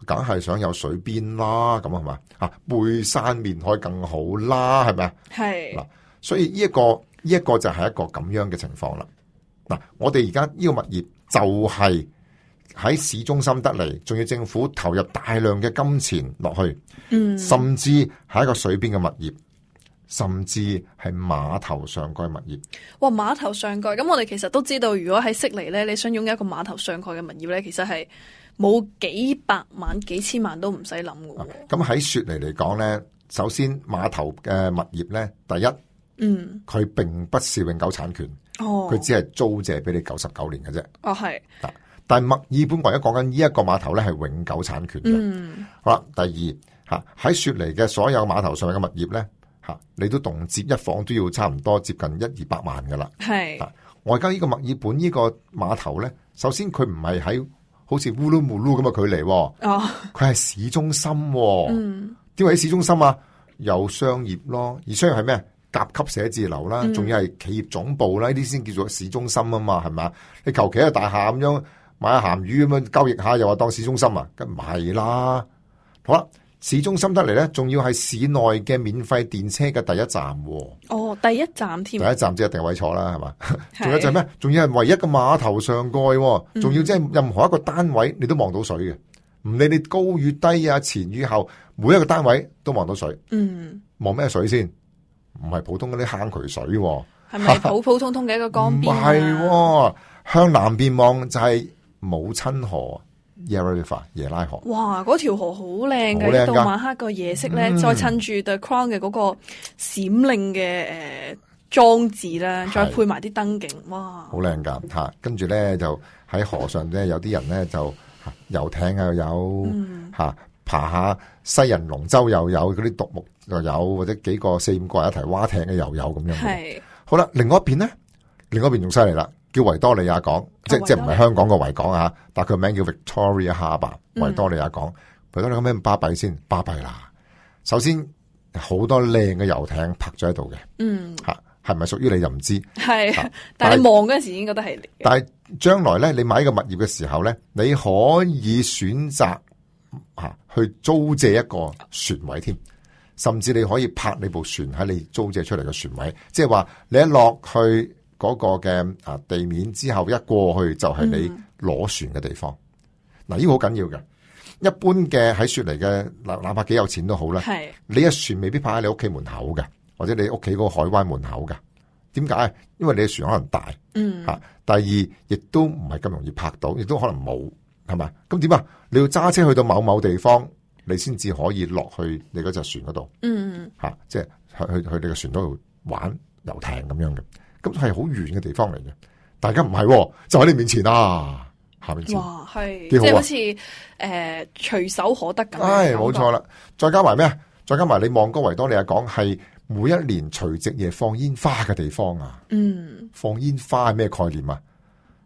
S2: 梗、嗯、係想有水邊啦，咁係嘛？啊，背山面海更好啦，係咪啊？係嗱，所以呢、這、一個呢一、這個就係一個咁樣嘅情況啦。嗱，我哋而家呢個物業就係喺市中心得嚟，仲要政府投入大量嘅金錢落去，嗯，甚至係一個水邊嘅物業，甚至係碼頭上蓋物業。
S1: 哇，碼頭上蓋，咁我哋其實都知道，如果喺悉尼咧，你想擁有一個碼頭上蓋嘅物業咧，其實係冇幾百萬、幾千萬都唔使諗嘅。
S2: 咁喺雪梨嚟講咧，首先碼頭嘅物業咧，第一，嗯，佢並不是永久產權，哦，佢只係租借俾你九十九年嘅啫。哦，係。但係墨爾本唯一講緊呢一個碼頭咧係永久產權嘅。嗯，好啦，第二吓喺雪梨嘅所有碼頭上嘅物業咧吓，你都動輒一房都要差唔多接近一二百萬噶啦。係，我而家呢個墨爾本呢個碼頭咧，首先佢唔係喺好似烏魯木魯咁嘅距離，哦，佢係市中心，哦。嗯，點解喺市中心啊？有商業咯，而商業係咩？甲級寫字樓啦，仲要係企業總部啦，呢啲先叫做市中心啊嘛，係咪？你求其一個大廈咁樣。買下鹹魚咁樣交易下，又話當市中心啊？咁唔係啦。好啦，市中心得嚟咧，仲要係市內嘅免費電車嘅第一站，啊。
S1: 哦，第一站添。第
S2: 一站即係定位坐啦，係嘛？仲有就係咩？仲要係唯一嘅碼頭上蓋，仲要即係任何一個單位你都望到水嘅。唔理你高與低啊，前與後，每一個單位都望到水。
S1: 嗯，
S2: 望咩水先？唔係普通嗰啲坑渠水，
S1: 係咪普普通通嘅一個江邊啊？
S2: 唔係，向南邊望就係母親河 Yarra River 耶拉河。
S1: 哇，嗰條河好靚嘅，到晚黑個夜色咧，嗯、再趁住 The Crown 嘅嗰個閃亮嘅誒裝置咧，再配埋啲燈景，哇，
S2: 好靚噶吓！跟住咧就喺河上咧，有啲人咧就遊艇又有吓。嗯爬下西人龍舟又有，嗰啲獨木又有，或者幾個四五個人一齊划艇嘅又有咁樣。係好啦，另外一邊咧，另外一邊仲犀利啦，叫維多利亞港，哦、即即唔係香港個維港啊，但係佢名叫 Victoria Harbour，維多利亞港。維、嗯、多利亞港咩咁巴閉先？巴閉啦！首先好多靚嘅遊艇泊咗喺度嘅，嗯，吓係咪屬於你就唔知？係、啊，
S1: 但係你望嗰陣時已經覺得係。
S2: 但係將來咧，你買一個物業嘅時候咧，你可以選擇。吓，去租借一個船位添，甚至你可以泊你部船喺你租借出嚟嘅船位，即係話你一落去嗰個嘅啊地面之後，一過去就係你攞船嘅地方。嗱、嗯，呢個好緊要嘅。一般嘅喺雪梨嘅，哪哪怕幾有錢都好啦，係你一船未必泊喺你屋企門口嘅，或者你屋企嗰個海灣門口嘅。點解？因為你嘅船可能大，嗯吓。第二，亦都唔係咁容易泊到，亦都可能冇。係嘛？咁點啊？你要揸車去到某某地方，你先至可以落去你嗰隻船嗰度。嗯，吓、啊，即係去去去你個船嗰度玩遊艇咁樣嘅。咁係好遠嘅地方嚟嘅。大家唔係，就喺你面前啊，下面前。哇，係，
S1: 即係好似誒隨手可得咁。
S2: 係，冇錯啦。再加埋咩啊？再加埋你望嗰維多利亞港係每一年除夕夜放煙花嘅地方啊。嗯，放煙花係咩概念啊？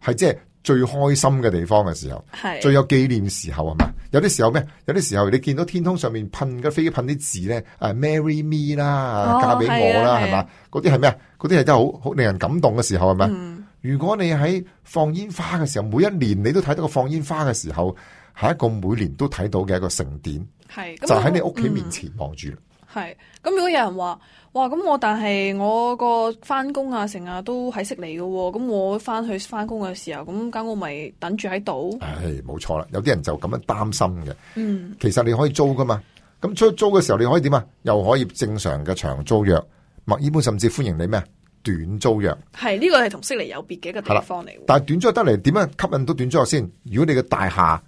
S2: 係即係。最開心嘅地方嘅時候，係最有紀念時候係嘛？有啲時候咩？有啲時候你見到天空上面噴嘅飛機噴啲字咧，誒 ，Marry me 啦，嫁俾我啦，係嘛？嗰啲係咩啊？嗰啲係真係好好令人感動嘅時候係咪？嗯、如果你喺放煙花嘅時候，每一年你都睇到個放煙花嘅時候，係一個每年都睇到嘅一個盛典，係就喺你屋企面前望住。
S1: 係咁，如果有人話，哇，咁我但係我個翻工啊，成日都喺悉尼嘅，咁我翻去翻工嘅時候，咁間屋咪等住喺度？
S2: 係冇錯啦，有啲人就咁樣擔心嘅。嗯，其實你可以租噶嘛，咁出租嘅時候你可以點啊？又可以正常嘅長租約，墨爾本甚至歡迎你咩短租約。
S1: 係呢、這個係同悉尼有別嘅一個地方嚟。
S2: 但係短租約得嚟，點樣吸引到短租約先？如果你嘅大廈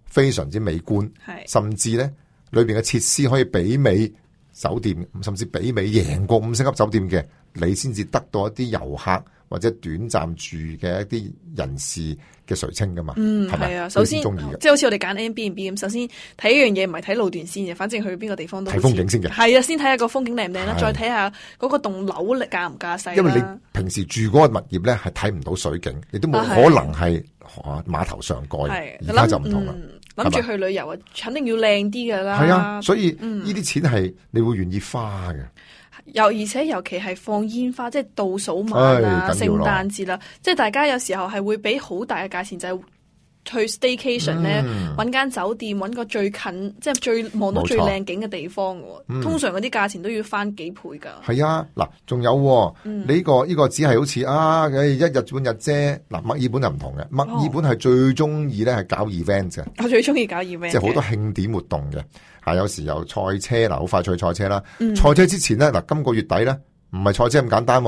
S2: 非常之美觀，係甚至咧裏邊嘅設施可以媲美酒店，甚至媲美贏過五星級酒店嘅，你先至得到一啲遊客或者短暫住嘅一啲人士嘅垂青噶嘛。嗯，係咪啊？
S1: 首先，即係好似我哋揀 Airbnb咁，首先睇一樣嘢唔係睇路段先嘅，反正去邊個地方都
S2: 睇風景先嘅。係
S1: 啊，先睇下個風景靚唔靚啦，再睇下嗰個棟樓力架唔架勢。
S2: 因為你平時住嗰個物業咧係睇唔到水景，亦都冇可能係碼頭上蓋。而家就唔同啦。
S1: 諗住去旅遊啊，肯定要靚啲噶啦。
S2: 係啊，所以呢啲錢係你會願意花嘅。
S1: 又而且尤其係放煙花，即係倒數晚啊、聖誕節啦，即係大家有時候係會俾好大嘅價錢，就係、是、去 staycation 咧，揾間酒店，揾個最近，即係最望到最靚景嘅地方嘅。嗯、通常嗰啲價錢都要翻幾倍噶。係
S2: 啊，嗱，仲有、啊嗯、你呢、這個呢、這個只係好似啊，一日半日啫。嗱，墨爾本就唔同嘅，墨爾本係最中意咧係搞 event 嘅。
S1: 我最中意搞 event，
S2: 即係好多慶典活動嘅。吓，有時有賽車嗱，好快脆賽車啦。賽、嗯、車之前咧，嗱，今個月底咧，唔係賽車咁簡單。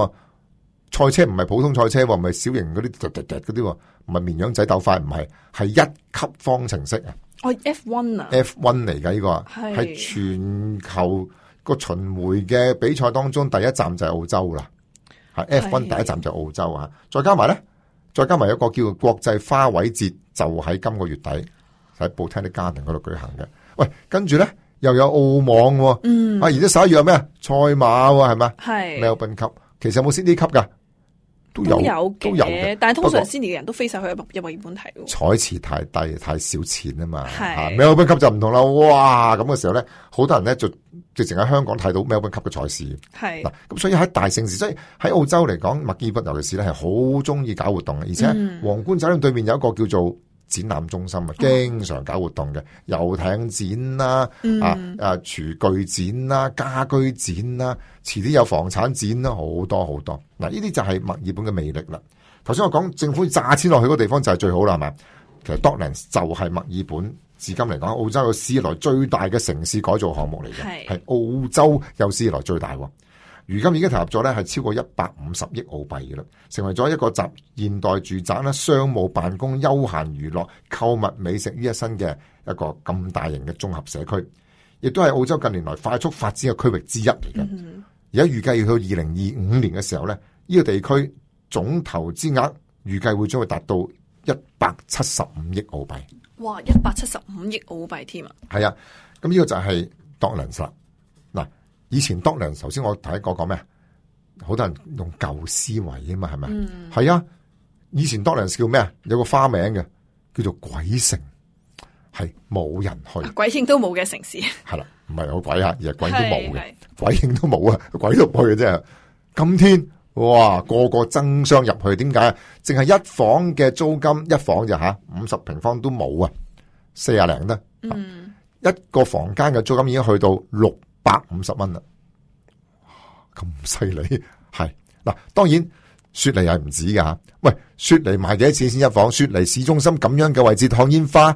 S2: 賽車唔係普通賽車，唔係小型嗰啲嗰啲，唔係綿羊仔鬥快，唔係，係一級方程式啊！
S1: 哦 ，F 一 啊
S2: ，F 一嚟噶呢個，係全球個巡迴嘅比賽當中第一站就係澳洲啦。係 F 一第一站就係澳洲啊！再加埋咧，再加埋一個叫做國際花卉節，就喺今個月底喺 Botanic Garden 嗰度舉行嘅。喂，跟住咧又有澳網，嗯，啊，而家十一月有咩啊？賽馬係咪？係 Melbourne Cup，其實有冇 Sydney Cup 噶？都有，都有嘅，
S1: 但係通常 Sydney 嘅人都飛晒去入墨爾本睇。
S2: 彩池太低，太少錢啊嘛。係 Melbourne Cup就唔同啦，哇！咁嘅時候咧，好多人咧就直情喺香港睇到 Melbourne Cup 嘅賽事。係嗱，咁所以喺大盛事，所以喺澳洲嚟講，墨爾本尤其是咧係好中意搞活動嘅，而且皇冠酒店對面有一個叫做展覽中心啊，經常搞活動嘅，遊艇展啦，嗯、啊啊廚具展啦，家居展啦，遲啲有房產展啦，好多好多。嗱，呢啲就係墨爾本嘅魅力啦。頭先我講政府炸錢落去嗰個地方就係最好啦，係咪？其實 Docklands 就係墨爾本至今嚟講，澳洲有史以來最大嘅城市改造項目嚟嘅，係
S1: 係
S2: 澳洲有史以來最大。如今已經投入咗咧係超過一百五十億澳幣嘅啦，成為咗一個集現代住宅啦、商務辦公、休閒娛樂、購物、美食於一身嘅一個咁大型嘅綜合社區，亦都係澳洲近年來快速發展嘅區域之一嚟嘅。而家預計要到二零二五年嘅時候咧，呢、這個地區總投資額預計會將會達到一百七十五億澳幣。
S1: 哇！一百七十五億澳幣添啊！
S2: 係啊，咁呢個就係 Docklands 啦。嗱，以前 Docklands 頭先我睇過講咩？好多人用舊思維啊嘛，係咪？係、嗯、啊，以前 Docklands 叫咩啊？有個花名嘅，叫做鬼城，係冇人去，
S1: 鬼影都冇嘅城市。
S2: 係啦，唔係有鬼啊，而係鬼都冇嘅，鬼影都冇啊，鬼都唔去嘅啫。今天哇，個個爭相入去，點解啊？淨係一房嘅租金，一房就吓五十平方都冇啊，四廿零得。嗯，一個房間嘅租金已經去到六百五十蚊啦。咁犀利係嗱，當然雪梨係唔止噶吓。喂，雪梨賣幾多錢先一房？雪梨市中心咁樣嘅位置看煙花，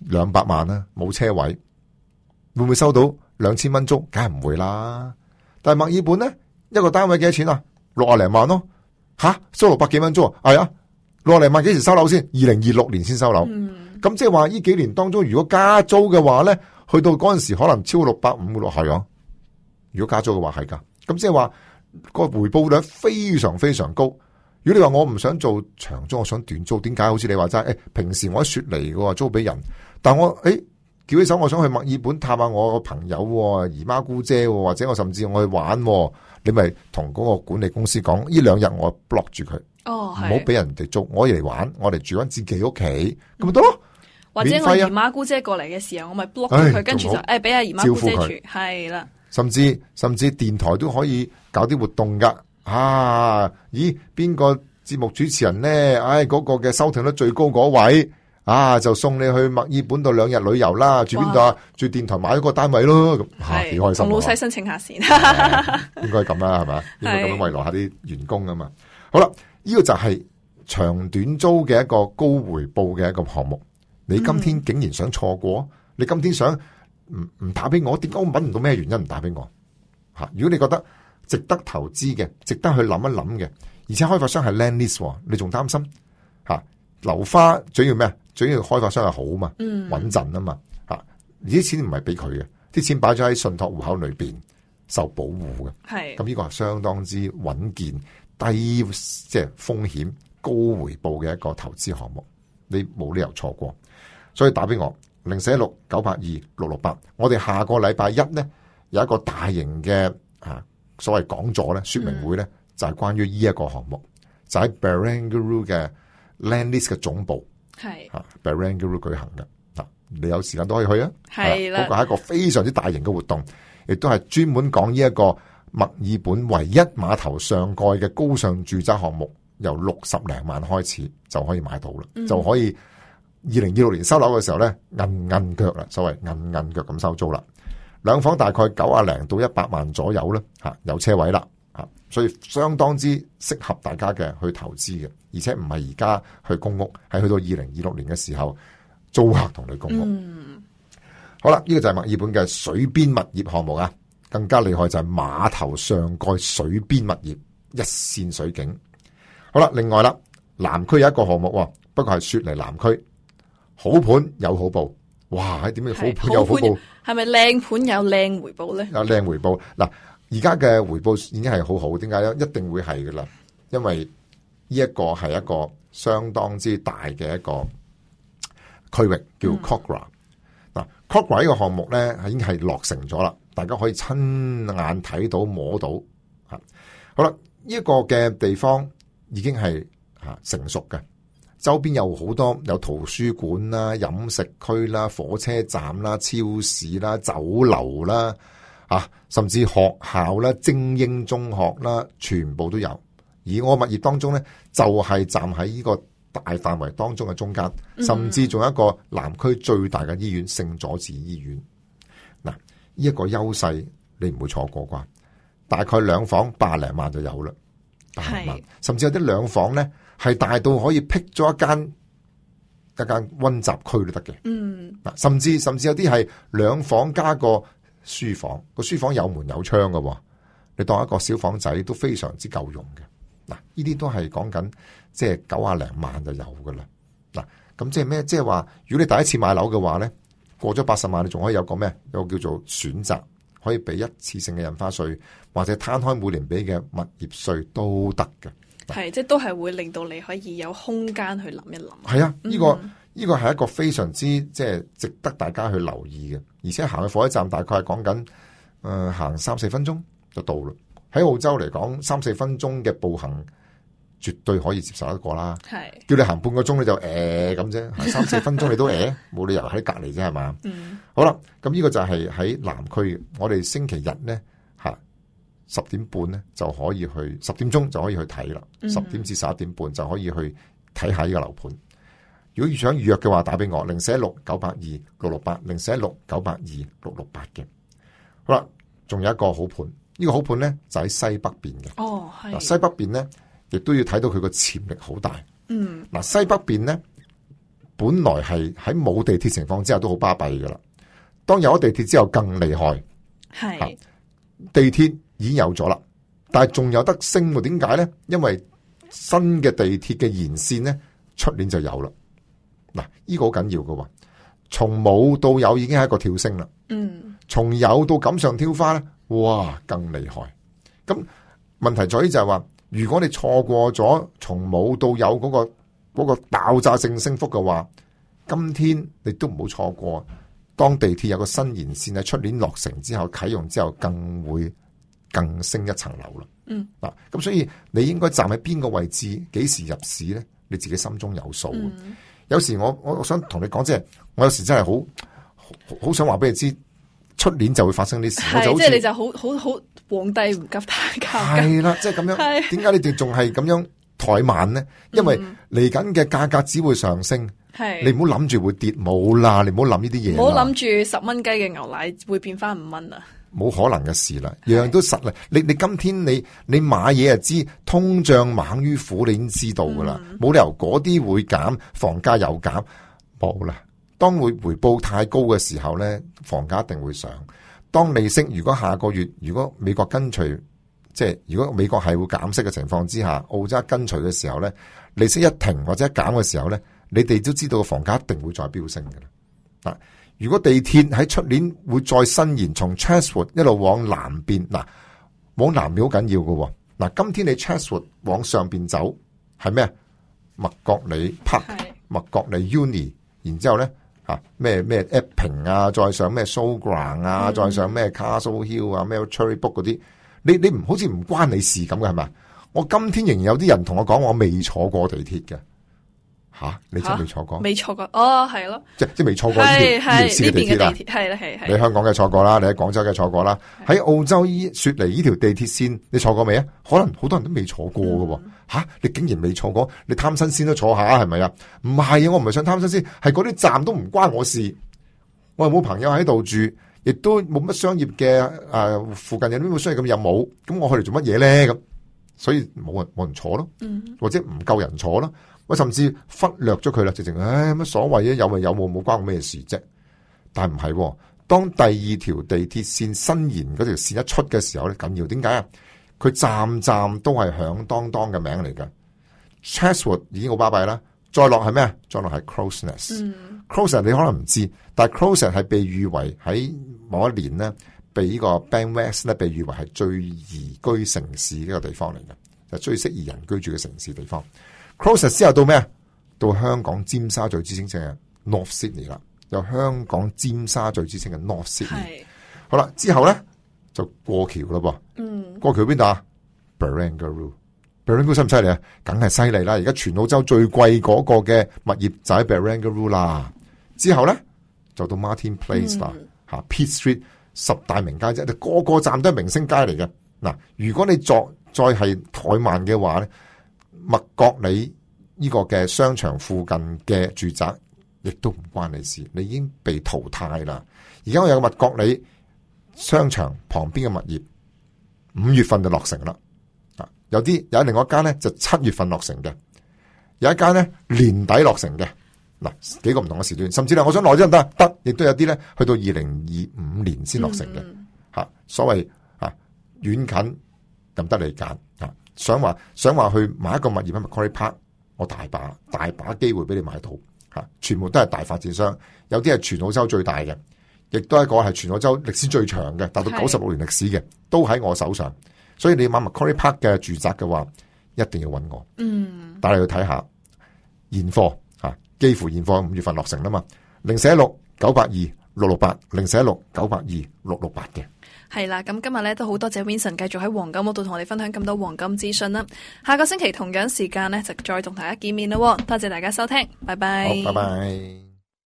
S2: 兩百萬啦，冇車位，會唔會收到兩千蚊租？梗係唔會啦。但係墨爾本咧，一個單位幾多錢啊？六啊零萬咯，吓收六百幾蚊租啊？係啊，六啊零萬幾時收樓先？二零二六年先收樓。咁即係話呢幾年當中，如果加租嘅話咧，去到嗰陣時可能超過六百五嘅咯，係啊。如果加租嘅話係噶。咁即係話個回報率非常非常高。如果你話我唔想做長租，我想短租，點解？好似你話齋，誒、欸，平時我喺雪梨嘅租俾人，但我誒叫起手，我想去墨爾本探下我個朋友、姨媽姑姐，或者我甚至我去玩，你咪同嗰個管理公司講，呢兩日我 block 住佢，哦，唔好俾人哋租，我嚟玩，我嚟住翻自己屋企，咁咪得咯。
S1: 或者我姨媽姑姐過嚟嘅時候，我咪 block 住佢，跟住就誒俾阿姨媽姑姐住，係啦。
S2: 甚至甚至電台都可以搞啲活動噶，啊，咦，邊個節目主持人咧？唉、哎，嗰、那個嘅收聽率最高嗰位，啊，就送你去墨爾本度兩日旅遊啦，住邊度啊？住電台買咗個單位咯，咁吓幾開心。同
S1: 老細申請下先，
S2: 應該咁啦，係嘛？應該咁樣慰勞下啲員工啊嘛。好啦，呢、這個就係長短租嘅一個高回報嘅一個項目。你今天竟然想錯過？嗯、你今天想？唔唔打俾我，點解我搵唔到咩原因唔打俾我？吓，如果你覺得值得投資嘅，值得去諗一諗嘅，而且開發商係 land lease，你仲擔心吓？樓花最要咩啊？最要開發商係好嘛，穩陣啊嘛，吓，啲錢唔係俾佢嘅，啲錢擺咗喺信託戶口裏邊受保護嘅，係咁呢個係相當之穩健、低即係風險、高回報嘅一個投資項目，你冇理由錯過，所以打俾我。零四一六九八二六六八，我哋下個禮拜一咧有一個大型嘅啊所謂講座咧說明會咧、嗯，就係、是、關於呢一個項目，就喺 Barangaroo 嘅 Land Lease 嘅總部係啊 Barangaroo 舉行嘅，啊你有時間都可以去啊，係啦，嗰、那個係一個非常之大型嘅活動，亦都係專門講呢一個墨爾本唯一碼頭上蓋嘅高尚住宅項目，由六十零萬開始就可以買到啦、嗯，就可以。二零二六年收樓嘅時候咧，硬硬腳啦，所謂硬硬腳咁收租啦。兩房大概九啊零到一百萬左右啦，吓有車位啦，吓所以相當之適合大家嘅去投資嘅，而且唔係而家去公屋，係去到二零二六年嘅時候租客同你公屋。嗯、好啦，呢、這個就係墨爾本嘅水邊物業項目啊，更加厲害就係碼頭上蓋水邊物業一線水景。好啦，另外啦，南區有一個項目，不過係雪梨南區。好盤有好報，哇！點解好盤有好報？
S1: 係咪靚盤有靚回報咧？
S2: 有靚回報嗱，而家嘅回報已經係好好，點解咧？一定會係噶啦，因為呢一個係一個相當之大嘅一個區域，叫 Kogarah。嗱、嗯、Kogarah 呢個項目咧，已經係落成咗啦，大家可以親眼睇到摸到吓。好啦，呢、這、一個嘅地方已經係吓成熟嘅。周邊有好多有圖書館啦、飲食區啦、火車站啦、超市啦、酒樓啦，啊，甚至學校啦、精英中學啦，全部都有。而我物業當中咧，就係、是、站喺呢個大範圍當中嘅中間，甚至仲有一個南區最大嘅醫院——聖佐治醫院。嗱，呢一個優勢你唔會錯過啩？大概兩房百零萬就有啦，百零萬，甚至有啲兩房咧。係大到可以闢咗一間一間溫習區都得嘅。
S1: 嗯，
S2: 嗱，甚至甚至有啲係兩房加個書房，個書房有門有窗嘅，你當一個小房仔都非常之夠用嘅。嗱，呢啲都係講緊即係九啊零萬就有噶啦。嗱，咁即係咩？即係話，如果你第一次買樓嘅話咧，過咗八十萬，你仲可以有個咩？有個叫做選擇，可以俾一次性嘅印花稅，或者攤開每年俾嘅物業稅都得嘅。
S1: 係，即係都係會令到你可以有空間去諗一諗。
S2: 係啊，呢、這個呢、
S1: 嗯、
S2: 個係一個非常之即係值得大家去留意嘅。而且行去火車站大概係講緊誒行三四分鐘就到啦。喺澳洲嚟講，三四分鐘嘅步行絕對可以接受得過啦。係叫你行半個鐘你就誒咁啫，行三四分鐘你都誒，冇理由喺隔籬啫係嘛。嗯，好啦，咁呢個就係喺南區，我哋星期日咧吓。十點半咧就可以去，十點鐘就可以去睇啦。十、嗯、點至十一點半就可以去睇下呢個樓盤。如果想預約嘅話，打俾我零四一六九八二六六八零四一六九八二六六八嘅。好啦，仲有一個好盤，呢、這個好盤咧就喺西北邊嘅。哦，係。西北邊咧亦都要睇到佢個潛力好大。嗯。嗱，西北邊咧本來係喺冇地鐵情況之下都好巴閉噶啦。當有咗地鐵之後更厲害。係。地鐵已經有咗啦，但係仲有得升喎？點解咧？因為新嘅地鐵嘅延線咧，出年就有啦。嗱，呢個好緊要㗎，從冇到有已經係一個跳升啦。嗯，從有到錦上添花咧，哇，更厲害。咁問題在於就係話，如果你錯過咗從冇到有嗰個嗰個爆炸性升幅嘅話，今天你都唔好錯過。當地鐵有個新延線喺出年落成之後啟用之後，更會更升一層樓啦。嗯，嗱，咁所以你應該站喺邊個位置，幾時入市咧？你自己心中有數。嗯、有時我我我想同你講，即係我有時真係好好想話俾你知，出年就會發生啲事。
S1: 係，即係你就好好好皇帝唔急太監。
S2: 係啦，即係咁樣。點解你哋仲係咁樣怠慢咧？因為嚟緊嘅價格只會上升。係，你唔好諗住會跌，冇啦，你唔好諗呢啲嘢。唔好諗住十蚊雞嘅牛奶會變翻五蚊啊！冇可能嘅事啦，樣樣都實啦。你你今天你你買嘢就知，通脹猛於虎，你已經知道噶啦。冇、嗯、理由嗰啲會減，房價又減，冇啦。當會回報太高嘅時候咧，房價一定會上。當利息如果下個月如果美國跟隨，即係如果美國係會減息嘅情況之下，澳洲跟隨嘅時候咧，利息一停或者一減嘅時候咧。你哋都知道個房價一定會再飆升嘅啦。嗱，如果地鐵喺出年會再伸延，從 Chatswood 一路往南邊，嗱，往南邊好緊要嘅。嗱，今天你 Chatswood 往上邊走係咩？麥覺理 Park、麥覺理 Uni， 然之後咧吓咩咩 Epping 啊，再上咩 Showground 啊，嗯、再上咩 Castle Hill 啊，咩 Cherrybrook 嗰啲，你你唔好似唔關你事咁嘅係咪？我今天仍然有啲人同我講，我未坐過地鐵嘅。吓、啊，你真係未坐過？未坐過，哦，係咯，即即未坐過呢條呢條線嘅地鐵啦。係啦，係係。你香港嘅坐過啦，你喺廣州嘅坐過啦。喺澳洲依雪梨呢條地鐵線，你坐過未啊？可能好多人都未坐過嘅。吓、嗯啊，你竟然未坐過？你貪新鮮都坐下係咪啊？唔係啊，我唔係想貪新鮮，係嗰啲站都唔關我事。我又冇朋友喺度住，亦都冇乜商業嘅誒、呃，附近有啲冇商業咁又冇，咁我去嚟做乜嘢咧？咁所以冇人冇人坐咯，嗯、或者唔夠人坐咯。我甚至忽略咗佢啦，直情唉乜所謂啊？有咪有，冇冇關我咩事啫？但係唔係，當第二條地鐵線伸延嗰條線一出嘅時候咧，緊要點解啊？佢站站都係響當當嘅名嚟嘅。Chatswood 已經好巴閉啦，再落係咩啊？再落係 Crows Nest。嗯、Crows Nest 你可能唔知，但係 Crows Nest 係被譽為喺某一年咧，被呢個 Bankwest 咧被譽為係最宜居城市嘅一個地方嚟嘅，就最適宜人居住嘅城市地方。Crows Nest 之後到咩啊？到香港尖沙咀之稱嘅 North Sydney 啦，有香港尖沙咀之稱嘅 North Sydney。好啦，之後咧就過橋啦噃。嗯，過橋邊度啊 ？Barangaroo。Barangaroo 犀唔犀利啊？梗係犀利啦！而家全澳洲最貴嗰個嘅物業就喺 Barangaroo 啦。之後咧就到 Martin Place 啦，吓、嗯、Pitt Street 十大名街啫，個個站都係明星街嚟嘅。嗱，如果你作再係怠慢嘅話咧，麥覺理呢個嘅商場附近嘅住宅，亦都唔關你事，你已經被淘汰啦。而家我有個麥覺理商場旁邊嘅物業，五月份就落成啦。啊，有啲有另外一間咧就七月份落成嘅，有一間咧年底落成嘅。嗱，幾個唔同嘅時段，甚至係我想耐啲得得，亦都有啲咧去到二零二五年先落成嘅。吓、嗯，所謂啊遠近任得你揀啊，想話想話去買一個物業喺 Macquarie Park，我大把大把機會俾你買到吓，全部都係大發展商，有啲係全澳洲最大嘅，亦都係一個係全澳洲歷史最長嘅，達到九十六年歷史嘅，都喺我手上。所以你買 Macquarie Park 嘅住宅嘅話，一定要揾我。嗯，帶你去睇下現貨吓，幾乎現貨五月份落成啦嘛。零四一六九八二六六八，零四一六九八二六六八嘅。
S1: 係啦，咁今日咧都好多謝 Vincent 繼續喺黃金屋度同我哋分享咁多黃金資訊啦。下個星期同樣時間咧就再同大家見面啦。多謝大家收聽，拜拜。
S2: 好，拜拜。